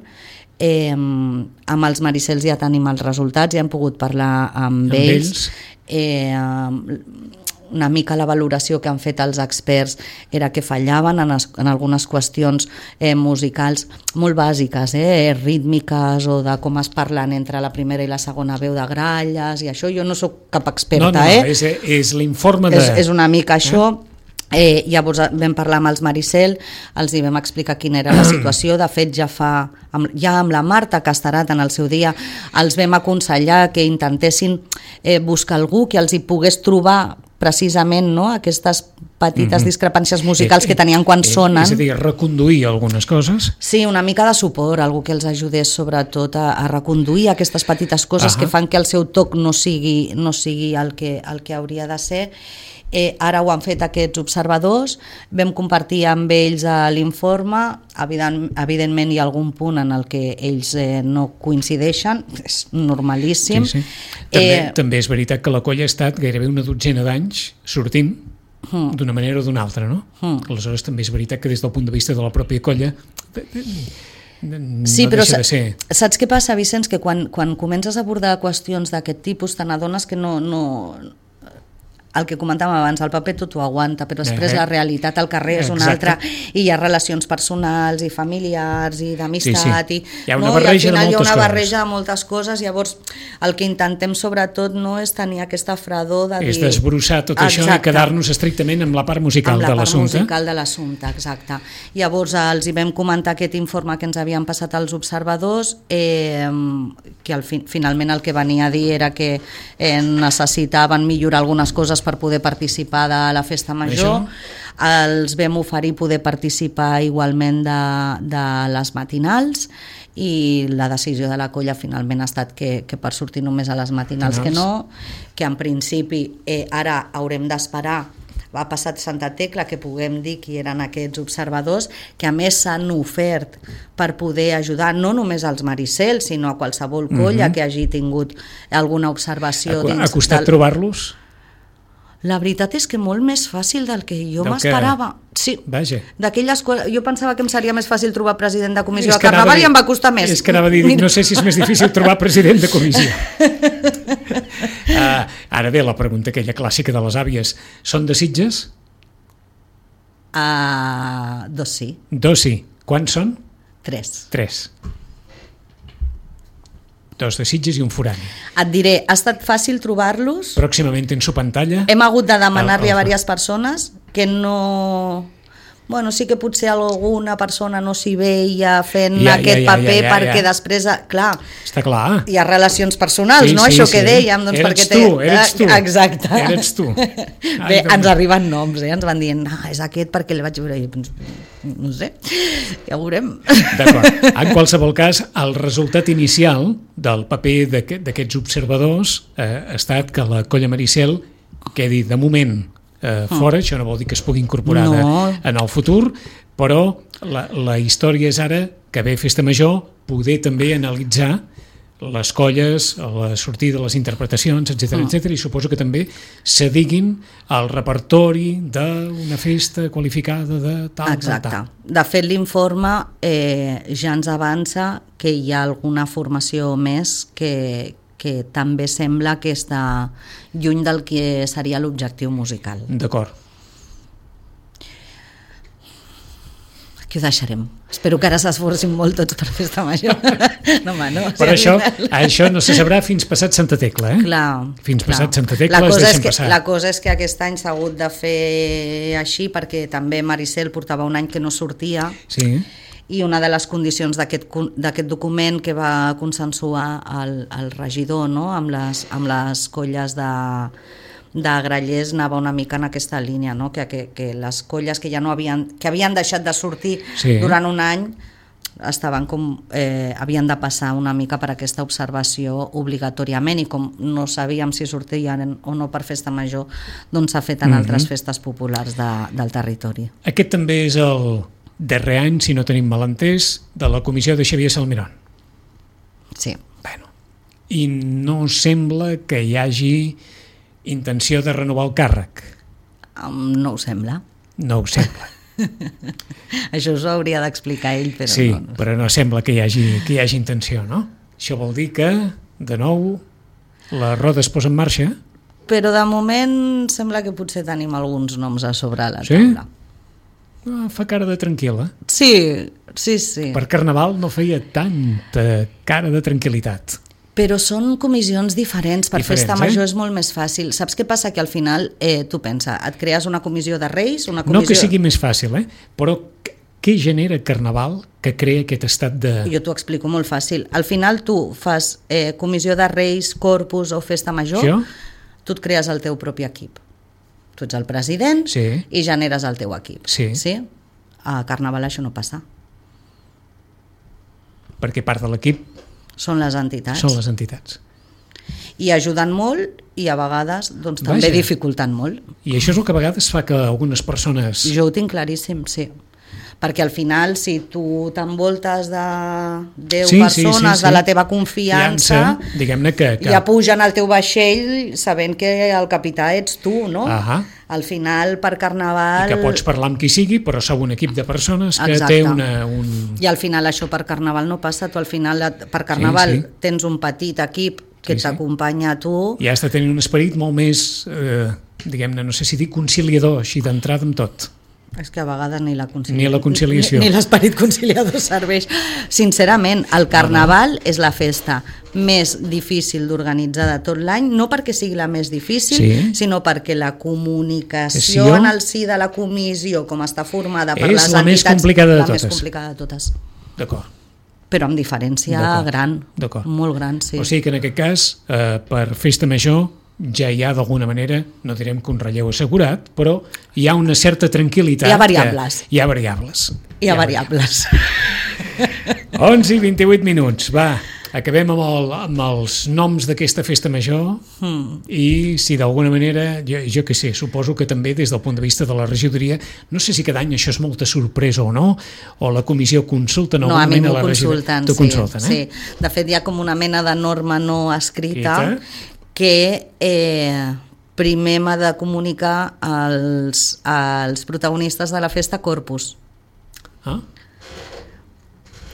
Eh, amb els Maricels ja tenim els resultats, ja hem pogut parlar amb, amb ells, ells. Eh, una mica la valoració que han fet els experts era que fallaven en, es, en algunes qüestions eh, musicals molt bàsiques, eh, rítmiques o de com es parlen entre la primera i la segona veu de gralles i això. Jo no sóc cap experta, no, no, eh? No, és, és l'informe de... És, és una mica això. Eh? Eh, llavors vam parlar amb els Maricel, els hi vam explicar quina era la situació. De fet, ja fa amb, ja amb la Marta Castarat en el seu dia els vam aconsellar que intentessin eh, buscar algú que els hi pogués trobar precisament, no? Aquestes petites mm-hmm. discrepàncies musicals eh, que tenien quan eh, sonen. És a dir, reconduir algunes coses. Sí, una mica de suport, algú que els ajudés sobretot a, a reconduir aquestes petites coses uh-huh. que fan que el seu toc no sigui, no sigui el, que, el que hauria de ser. Eh, ara ho han fet aquests observadors, vam compartir amb ells l'informe. Evident, evidentment hi ha algun punt en el que ells eh, no coincideixen, és normalíssim. Sí, sí. També, eh, també és veritat que la colla ha estat gairebé una dotzena d'anys sortint hmm. d'una manera o d'una altra, no? Hmm. Aleshores també és veritat que des del punt de vista de la pròpia colla no sí, però deixa de ser. Saps què passa, Vicenç? Que quan, quan comences a abordar qüestions d'aquest tipus te n'adones que no... no el que comentàvem abans, el paper tot ho aguanta, però després uh-huh. la realitat al carrer és una altra, i hi ha relacions personals i familiars i d'amistat, sí, sí. i, hi ha una no? barreja I al final de hi ha una coses. barreja de moltes coses. Llavors el que intentem sobretot no és tenir aquesta fredor de dir... És desbrossar tot exacte. Això i quedar-nos estrictament amb la part musical de l'assumpte. Amb la part musical de l'assumpte, exacte. Llavors els hi vam comentar aquest informe que ens havien passat els observadors, eh, que al fi, finalment el que venia a dir era que eh, necessitaven millorar algunes coses per poder participar de la festa major. Això? Els vam oferir poder participar igualment de, de les matinals i la decisió de la colla finalment ha estat que, que per sortir només a les matinals que no, que en principi eh, ara haurem d'esperar va passar Santa Tecla que puguem dir qui eren aquests observadors, que a més s'han ofert per poder ajudar no només als Maricel sinó a qualsevol colla uh-huh. que hagi tingut alguna observació. Ha, ha costat del... trobar-los? La veritat és que molt més fàcil del que jo del m'esperava. Que... Sí, vaja. D'aquelles coses, jo pensava que em seria més fàcil trobar president de comissió de Carnaval dir, i em va costar més. És que anava a dir, no sé si és més difícil trobar president de comissió. uh, ara bé, la pregunta aquella clàssica de les àvies, són de Sitges? Uh, dos sí. Dos sí. Quants són? Tres. Tres. Dos de Sitges i un forani. Et diré, ha estat fàcil trobar-los. Pròximament en su pantalla. Hem hagut de demanar-li el, el... a diverses persones que no... Bueno, sí que potser alguna persona no s'hi veia fent ja, aquest ja, ja, paper ja, ja, perquè ja. després, clar, està clar. Hi ha relacions personals, sí, no? Sí, Això sí. que dèiem, doncs eres perquè tu, té... eres tu. Exacte. Eres tu. Bé, Ai, ens arriben noms, eh? Ens van dient, no, és aquest perquè el vaig veure. No sé, ja ho veurem. D'acord. En qualsevol cas, el resultat inicial del paper d'aquests observadors eh, ha estat que la Colla Maricel quedi de moment Eh, fora, mm. això no vol dir que es pugui incorporar no. de, en el futur, però la, la història és ara que ve Festa Major poder també analitzar les colles, la sortida de les interpretacions, etcètera, mm. etcètera, i suposo que també se diguin el repertori d'una festa qualificada de tal, Exacte. tal, tal. De fet, l'informe eh, ja ens avança que hi ha alguna formació més que, que també sembla que està lluny del que seria l'objectiu musical. D'acord. Aquí ho deixarem. Espero que ara s'esforcin molt tots per Festa Major. No, home, no. Però això, això no se sabrà fins passat Santa Tecla, eh? Clar. Fins clar. passat Santa Tecla es deixen que, passar. La cosa és que aquest any s'ha hagut de fer així perquè també Maricel portava un any que no sortia. Sí. I una de les condicions d'aquest document que va consensuar el, el regidor, no? amb, les, amb les colles de, de Grallers anava una mica en aquesta línia, no? que, que, que les colles que ja no havien, que havien deixat de sortir sí. durant un any estaven com, eh, havien de passar una mica per aquesta observació obligatòriament, i com no sabíem si sortien o no per Festa Major, doncs s'ha fet en mm-hmm. altres festes populars de, del territori. Aquest també és el darrer any, si no tenim malentès, de la comissió de Xavier Salmerón. Sí. Bueno, i no sembla que hi hagi intenció de renovar el càrrec. Um, no ho sembla. No ho sembla. Això us ho hauria d'explicar ell, però sí, no. però no sembla que hi hagi, que hi hagi intenció, no? Això vol dir que, de nou, la roda es posa en marxa. Però de moment sembla que potser tenim alguns noms a sobre la sí? taula. Ah, fa cara de tranquil·la. Sí, sí, sí. Per Carnaval no feia tanta cara de tranquil·litat. Però són comissions diferents. Per diferents, Festa Major eh? és molt més fàcil. Saps què passa? Que al final, eh, tu pensa, et crees una comissió de Reis, una comissió... No que sigui més fàcil, eh? Però què genera Carnaval que crea aquest estat de... Jo t'ho explico molt fàcil. Al final tu fas eh, comissió de Reis, Corpus o Festa Major, sí? Tu et crees el teu propi equip. Tu ets el president sí. i generes el teu equip. Sí. Sí? A Carnaval això no passa. Perquè part de l'equip són les entitats. Són les entitats. I ajuden molt i a vegades doncs, també Vaja. dificulten molt. I això és el que a vegades fa que algunes persones... Jo ho tinc claríssim, sí. Perquè al final, si tu t'envoltes de deu sí, persones sí, sí, sí. de la teva confiança, diguem-ne que, que... ja pugen al teu vaixell sabent que el capità ets tu, no? Ahà. Al final, per Carnaval... I que pots parlar amb qui sigui, però sou un equip de persones que Exacte. té una... Un... I al final això per Carnaval no passa. Tu al final, per Carnaval, sí, sí. tens un petit equip que sí, t'acompanya a tu. I has de tenir un esperit molt més, eh, diguem-ne, no sé si dic conciliador, així d'entrada amb tot. És que a vegades ni la conciliació, ni, la conciliació. ni, ni l'esperit conciliador serveix. Sincerament, el Carnaval és la festa més difícil d'organitzar de tot l'any, no perquè sigui la més difícil, sí. sinó perquè la comunicació sí. en el si de la comissió, com està formada per és les la entitats, més complicada de la totes. més complicada de totes. D'acord. Però amb diferència gran, molt gran, sí. O sigui que en aquest cas, eh, per Festa Major, ja hi ha d'alguna manera, no direm que un relleu assegurat, però hi ha una certa tranquil·litat. Hi ha variables. Hi ha variables. Hi ha, hi ha variables. variables. onze i vint-i-vuit minuts, va, acabem amb, el, amb els noms d'aquesta Festa Major hmm. i si d'alguna manera, jo, jo què sé, suposo que també des del punt de vista de la regidoria, no sé si cada any això és molta sorpresa o no, o la comissió consulta no, a mi m'ho consulten, sí, consulten, eh? sí. De fet hi ha com una mena de norma no escrita Quita. que eh, primer m'ha de comunicar als, als protagonistes de la festa Corpus. Ah?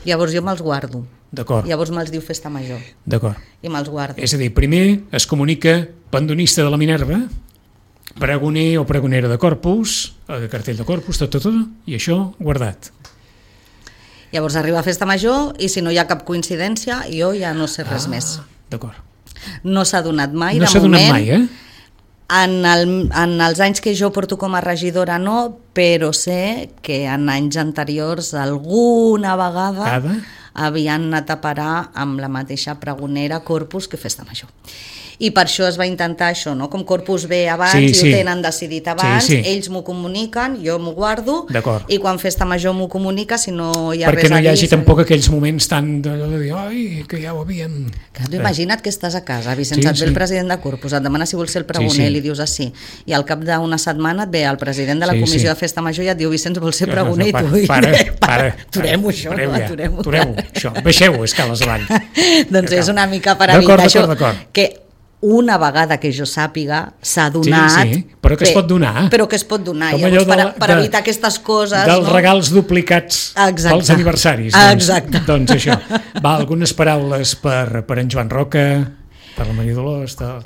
Llavors jo me'ls guardo. D'acord. Llavors me'ls diu Festa Major. D'acord. I me'ls guardo. És a dir, primer es comunica pandonista de la Minerva, pregoner o pregonera de Corpus, de cartell de Corpus, tot, tot, tot, i això guardat. Llavors arriba a Festa Major i si no hi ha cap coincidència jo ja no sé res ah, més. D'acord. No s'ha donat mai, no de s'ha moment. donat mai, eh? En, el, en els anys que jo porto com a regidora no, però sé que en anys anteriors alguna vegada Cada? havien anat a parar amb la mateixa pregonera Corpus que Festa Major. I per això es va intentar això, no? Com Corpus ve abans sí, i sí. ho tenen decidit abans, sí, sí. ells m'ho comuniquen, jo m'ho guardo, i quan Festa Major m'ho comunica, si no hi ha perquè res a dir... Perquè no hi hagi tampoc aquells moments tan de dir, ai, que ja ho havíem... Que tu imagina't que estàs a casa, Vicenç, sí, et ve sí. el president de Corpus, et demana si vols ser el pregoner, sí, sí. li dius així, i al cap d'una setmana et ve el president de la sí, comissió sí. de Festa Major i et diu, Vicenç, vols ser pregoner, no, no, i tu... Para, para, para, aturem-ho això, no? Aturem-ho. Aturem-ho, això, baixeu escales avall. Doncs és una mica per evitar això, que una vegada que jo sàpiga s'ha donat... Sí, sí, però que es pot donar. Però que es pot donar, llavors, per, per evitar aquestes coses... Dels no? regals duplicats Exacte. Pels aniversaris. Doncs, Exacte. Doncs això. Va, algunes paraules per, per en Joan Roca, per la Maria Dolors... Tal.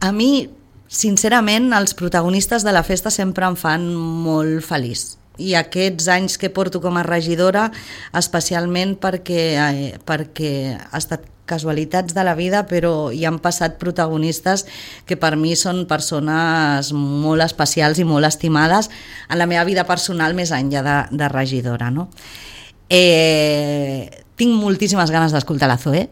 A mi, sincerament, els protagonistes de la festa sempre em fan molt feliç. I aquests anys que porto com a regidora, especialment perquè, eh, perquè ha estat casualitats de la vida, però hi han passat protagonistes que per mi són persones molt especials i molt estimades en la meva vida personal més enllà de, de regidora. No? Eh, tinc moltíssimes ganes d'escoltar la Zoe,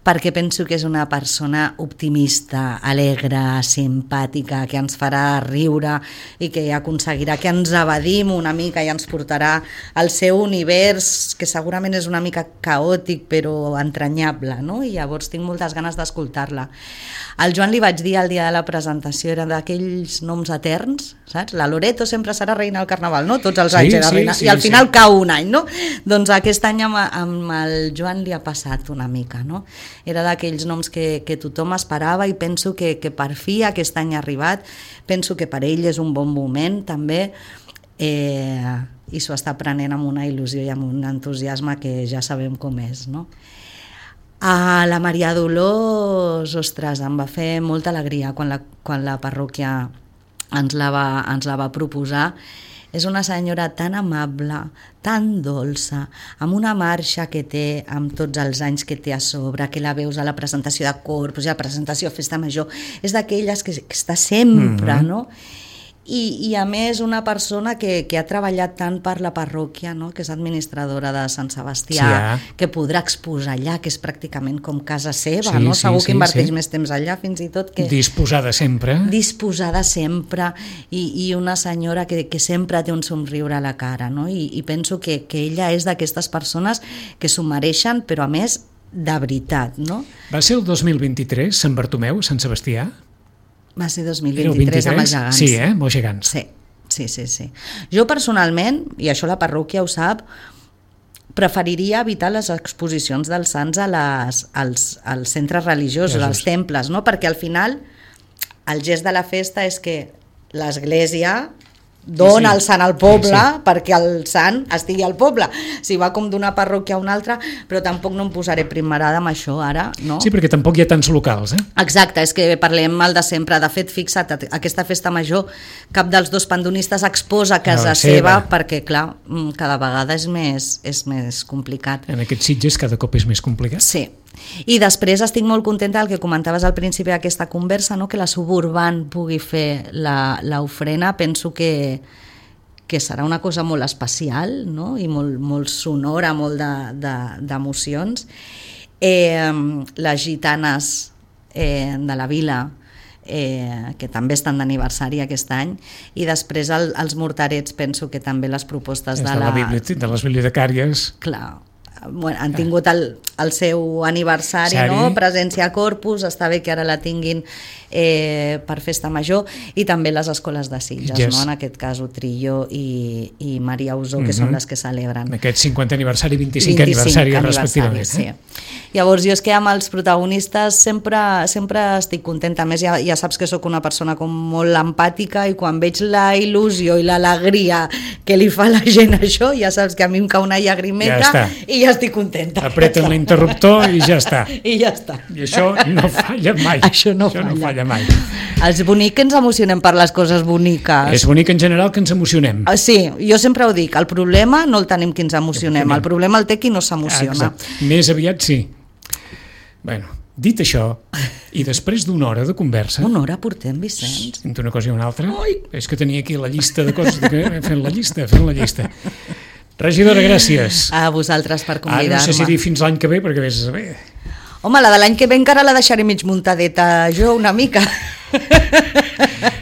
perquè penso que és una persona optimista, alegre, simpàtica, que ens farà riure i que aconseguirà que ens evadim una mica i ens portarà al seu univers, que segurament és una mica caòtic però entranyable, no? I llavors tinc moltes ganes d'escoltar-la. Al Joan li vaig dir el dia de la presentació, era d'aquells noms eterns, saps? La Loreto sempre serà reina del Carnaval, no? Tots els anys sí, era reina, sí, sí, i al final sí. cau un any, no? Doncs aquest any amb, amb el Joan li ha passat una mica, no? Era d'aquells noms que, que tothom esperava i penso que, que per fi aquest any ha arribat, penso que per ell és un bon moment també, eh, i s'ho està prenent amb una il·lusió i amb un entusiasme que ja sabem com és, no? A la Maria Dolors, ostres, em va fer molta alegria quan la, quan la parròquia ens la, va, ens la va proposar. És una senyora tan amable, tan dolça, amb una marxa que té, amb tots els anys que té a sobre, que la veus a la presentació de Corpus, a la presentació de Festa Major, és d'aquelles que, que està sempre, mm-hmm. no? I, i a més una persona que, que ha treballat tant per la parròquia, no? Que és administradora de Sant Sebastià, sí, eh? Que podrà exposar allà, que és pràcticament com casa seva, sí, no? Sí, segur sí, que inverteix sí. més temps allà, fins i tot que... Disposada sempre. Disposada sempre, i, i una senyora que, que sempre té un somriure a la cara, no? I, i penso que, que ella és d'aquestes persones que s'ho mereixen, però a més de veritat, no? Va ser el dos mil vint-i-tres, Sant Bartomeu, Sant Sebastià? Va ser dos mil vint-i-tres amb els gegants. Sí, eh? Amb els gegants. Sí, sí, sí, sí. Jo personalment, i això la parròquia ho sap, preferiria evitar les exposicions dels sants a les, als, als centres religiosos, Jesús. Als temples, no? Perquè al final el gest de la festa és que l'església dona sí, sí. el sant al poble sí, sí. perquè el sant estigui al poble. Si va com d'una parròquia a una altra, però tampoc no em posaré primerada amb això ara, no? Sí, perquè tampoc hi ha tants locals, eh? Exacte, és que parlem el de sempre. De fet, fixa't, aquesta festa major, cap dels dos pandonistes exposa casa seva, seva, perquè, clar, cada vegada és més, és més complicat. En aquests Sitges cada cop és més complicat. Sí. I després estic molt contenta del que comentaves al principi d'aquesta conversa, no? Que la Suburban pugui fer l'ofrena, penso que, que serà una cosa molt especial, no? I molt, molt sonora, molt d'emocions. De, de, eh, les gitanes eh, de la vila, eh, que també estan d'aniversari aquest any, i després el, els mortarets, penso que també les propostes de, de, la, la de les bibliotecàries. Clar, bueno, han tingut el, el seu aniversari, Sari. No? Presència a Corpus, està bé que ara la tinguin eh, per Festa Major, i també les escoles de Sitges, yes. no? En aquest cas Utrillo i, i Maria Usó, que mm-hmm. són les que celebren. En aquest cinquantè aniversari i vint-i-cinquè aniversari, respectivament. Sí. Eh? Llavors jo és que amb els protagonistes sempre, sempre estic contenta, a més ja, ja saps que sóc una persona com molt empàtica, i quan veig la il·lusió i l'alegria que li fa la gent això, ja saps que a mi em cau una llagrimeta, ja i ja ja estic contenta. Apreten l'interruptor i ja està. I ja està. I això no falla mai. Això no això falla. no falla mai. Els bonics que ens emocionem per les coses boniques. És bonic en general que ens emocionem. Sí, jo sempre ho dic, el problema no el tenim qui ens emocionem, el problema el té qui no s'emociona. Exacte. Més aviat sí. Bueno, dit això, i després d'una hora de conversa... Una hora portem, Vicenç. Entre una cosa i una altra, Ui. és que tenia aquí la llista de coses, de... fent la llista, fent la llista. Regidora, gràcies. A vosaltres per convidar-me. Ara no sé si dir fins l'any que ve, perquè vés a saber. Home, la de l'any que ve encara la deixaré mig muntadeta jo una mica.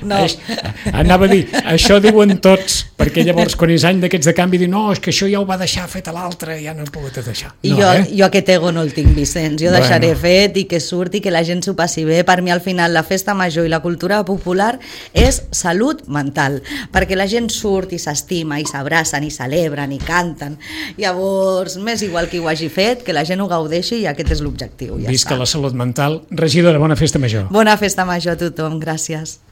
No. Anava a dir, això diuen tots, perquè llavors quan és any d'aquests de canvi diuen, no, és que això ja ho va deixar fet a l'altre, ja no he pogut deixar. I no, jo, eh? jo aquest ego no el tinc, Vicenç, jo Bueno. deixaré fet i que surti, que la gent s'ho passi bé. Per mi al final la festa major i la cultura popular és salut mental, perquè la gent surt i s'estima i s'abracen i celebren i canten. Llavors, m'és igual qui ho hagi fet, que la gent ho gaudeixi i aquest és l'objectiu. Ja Visca està. la salut mental. Regidora, bona festa major. Bona festa major a tothom, gràcies.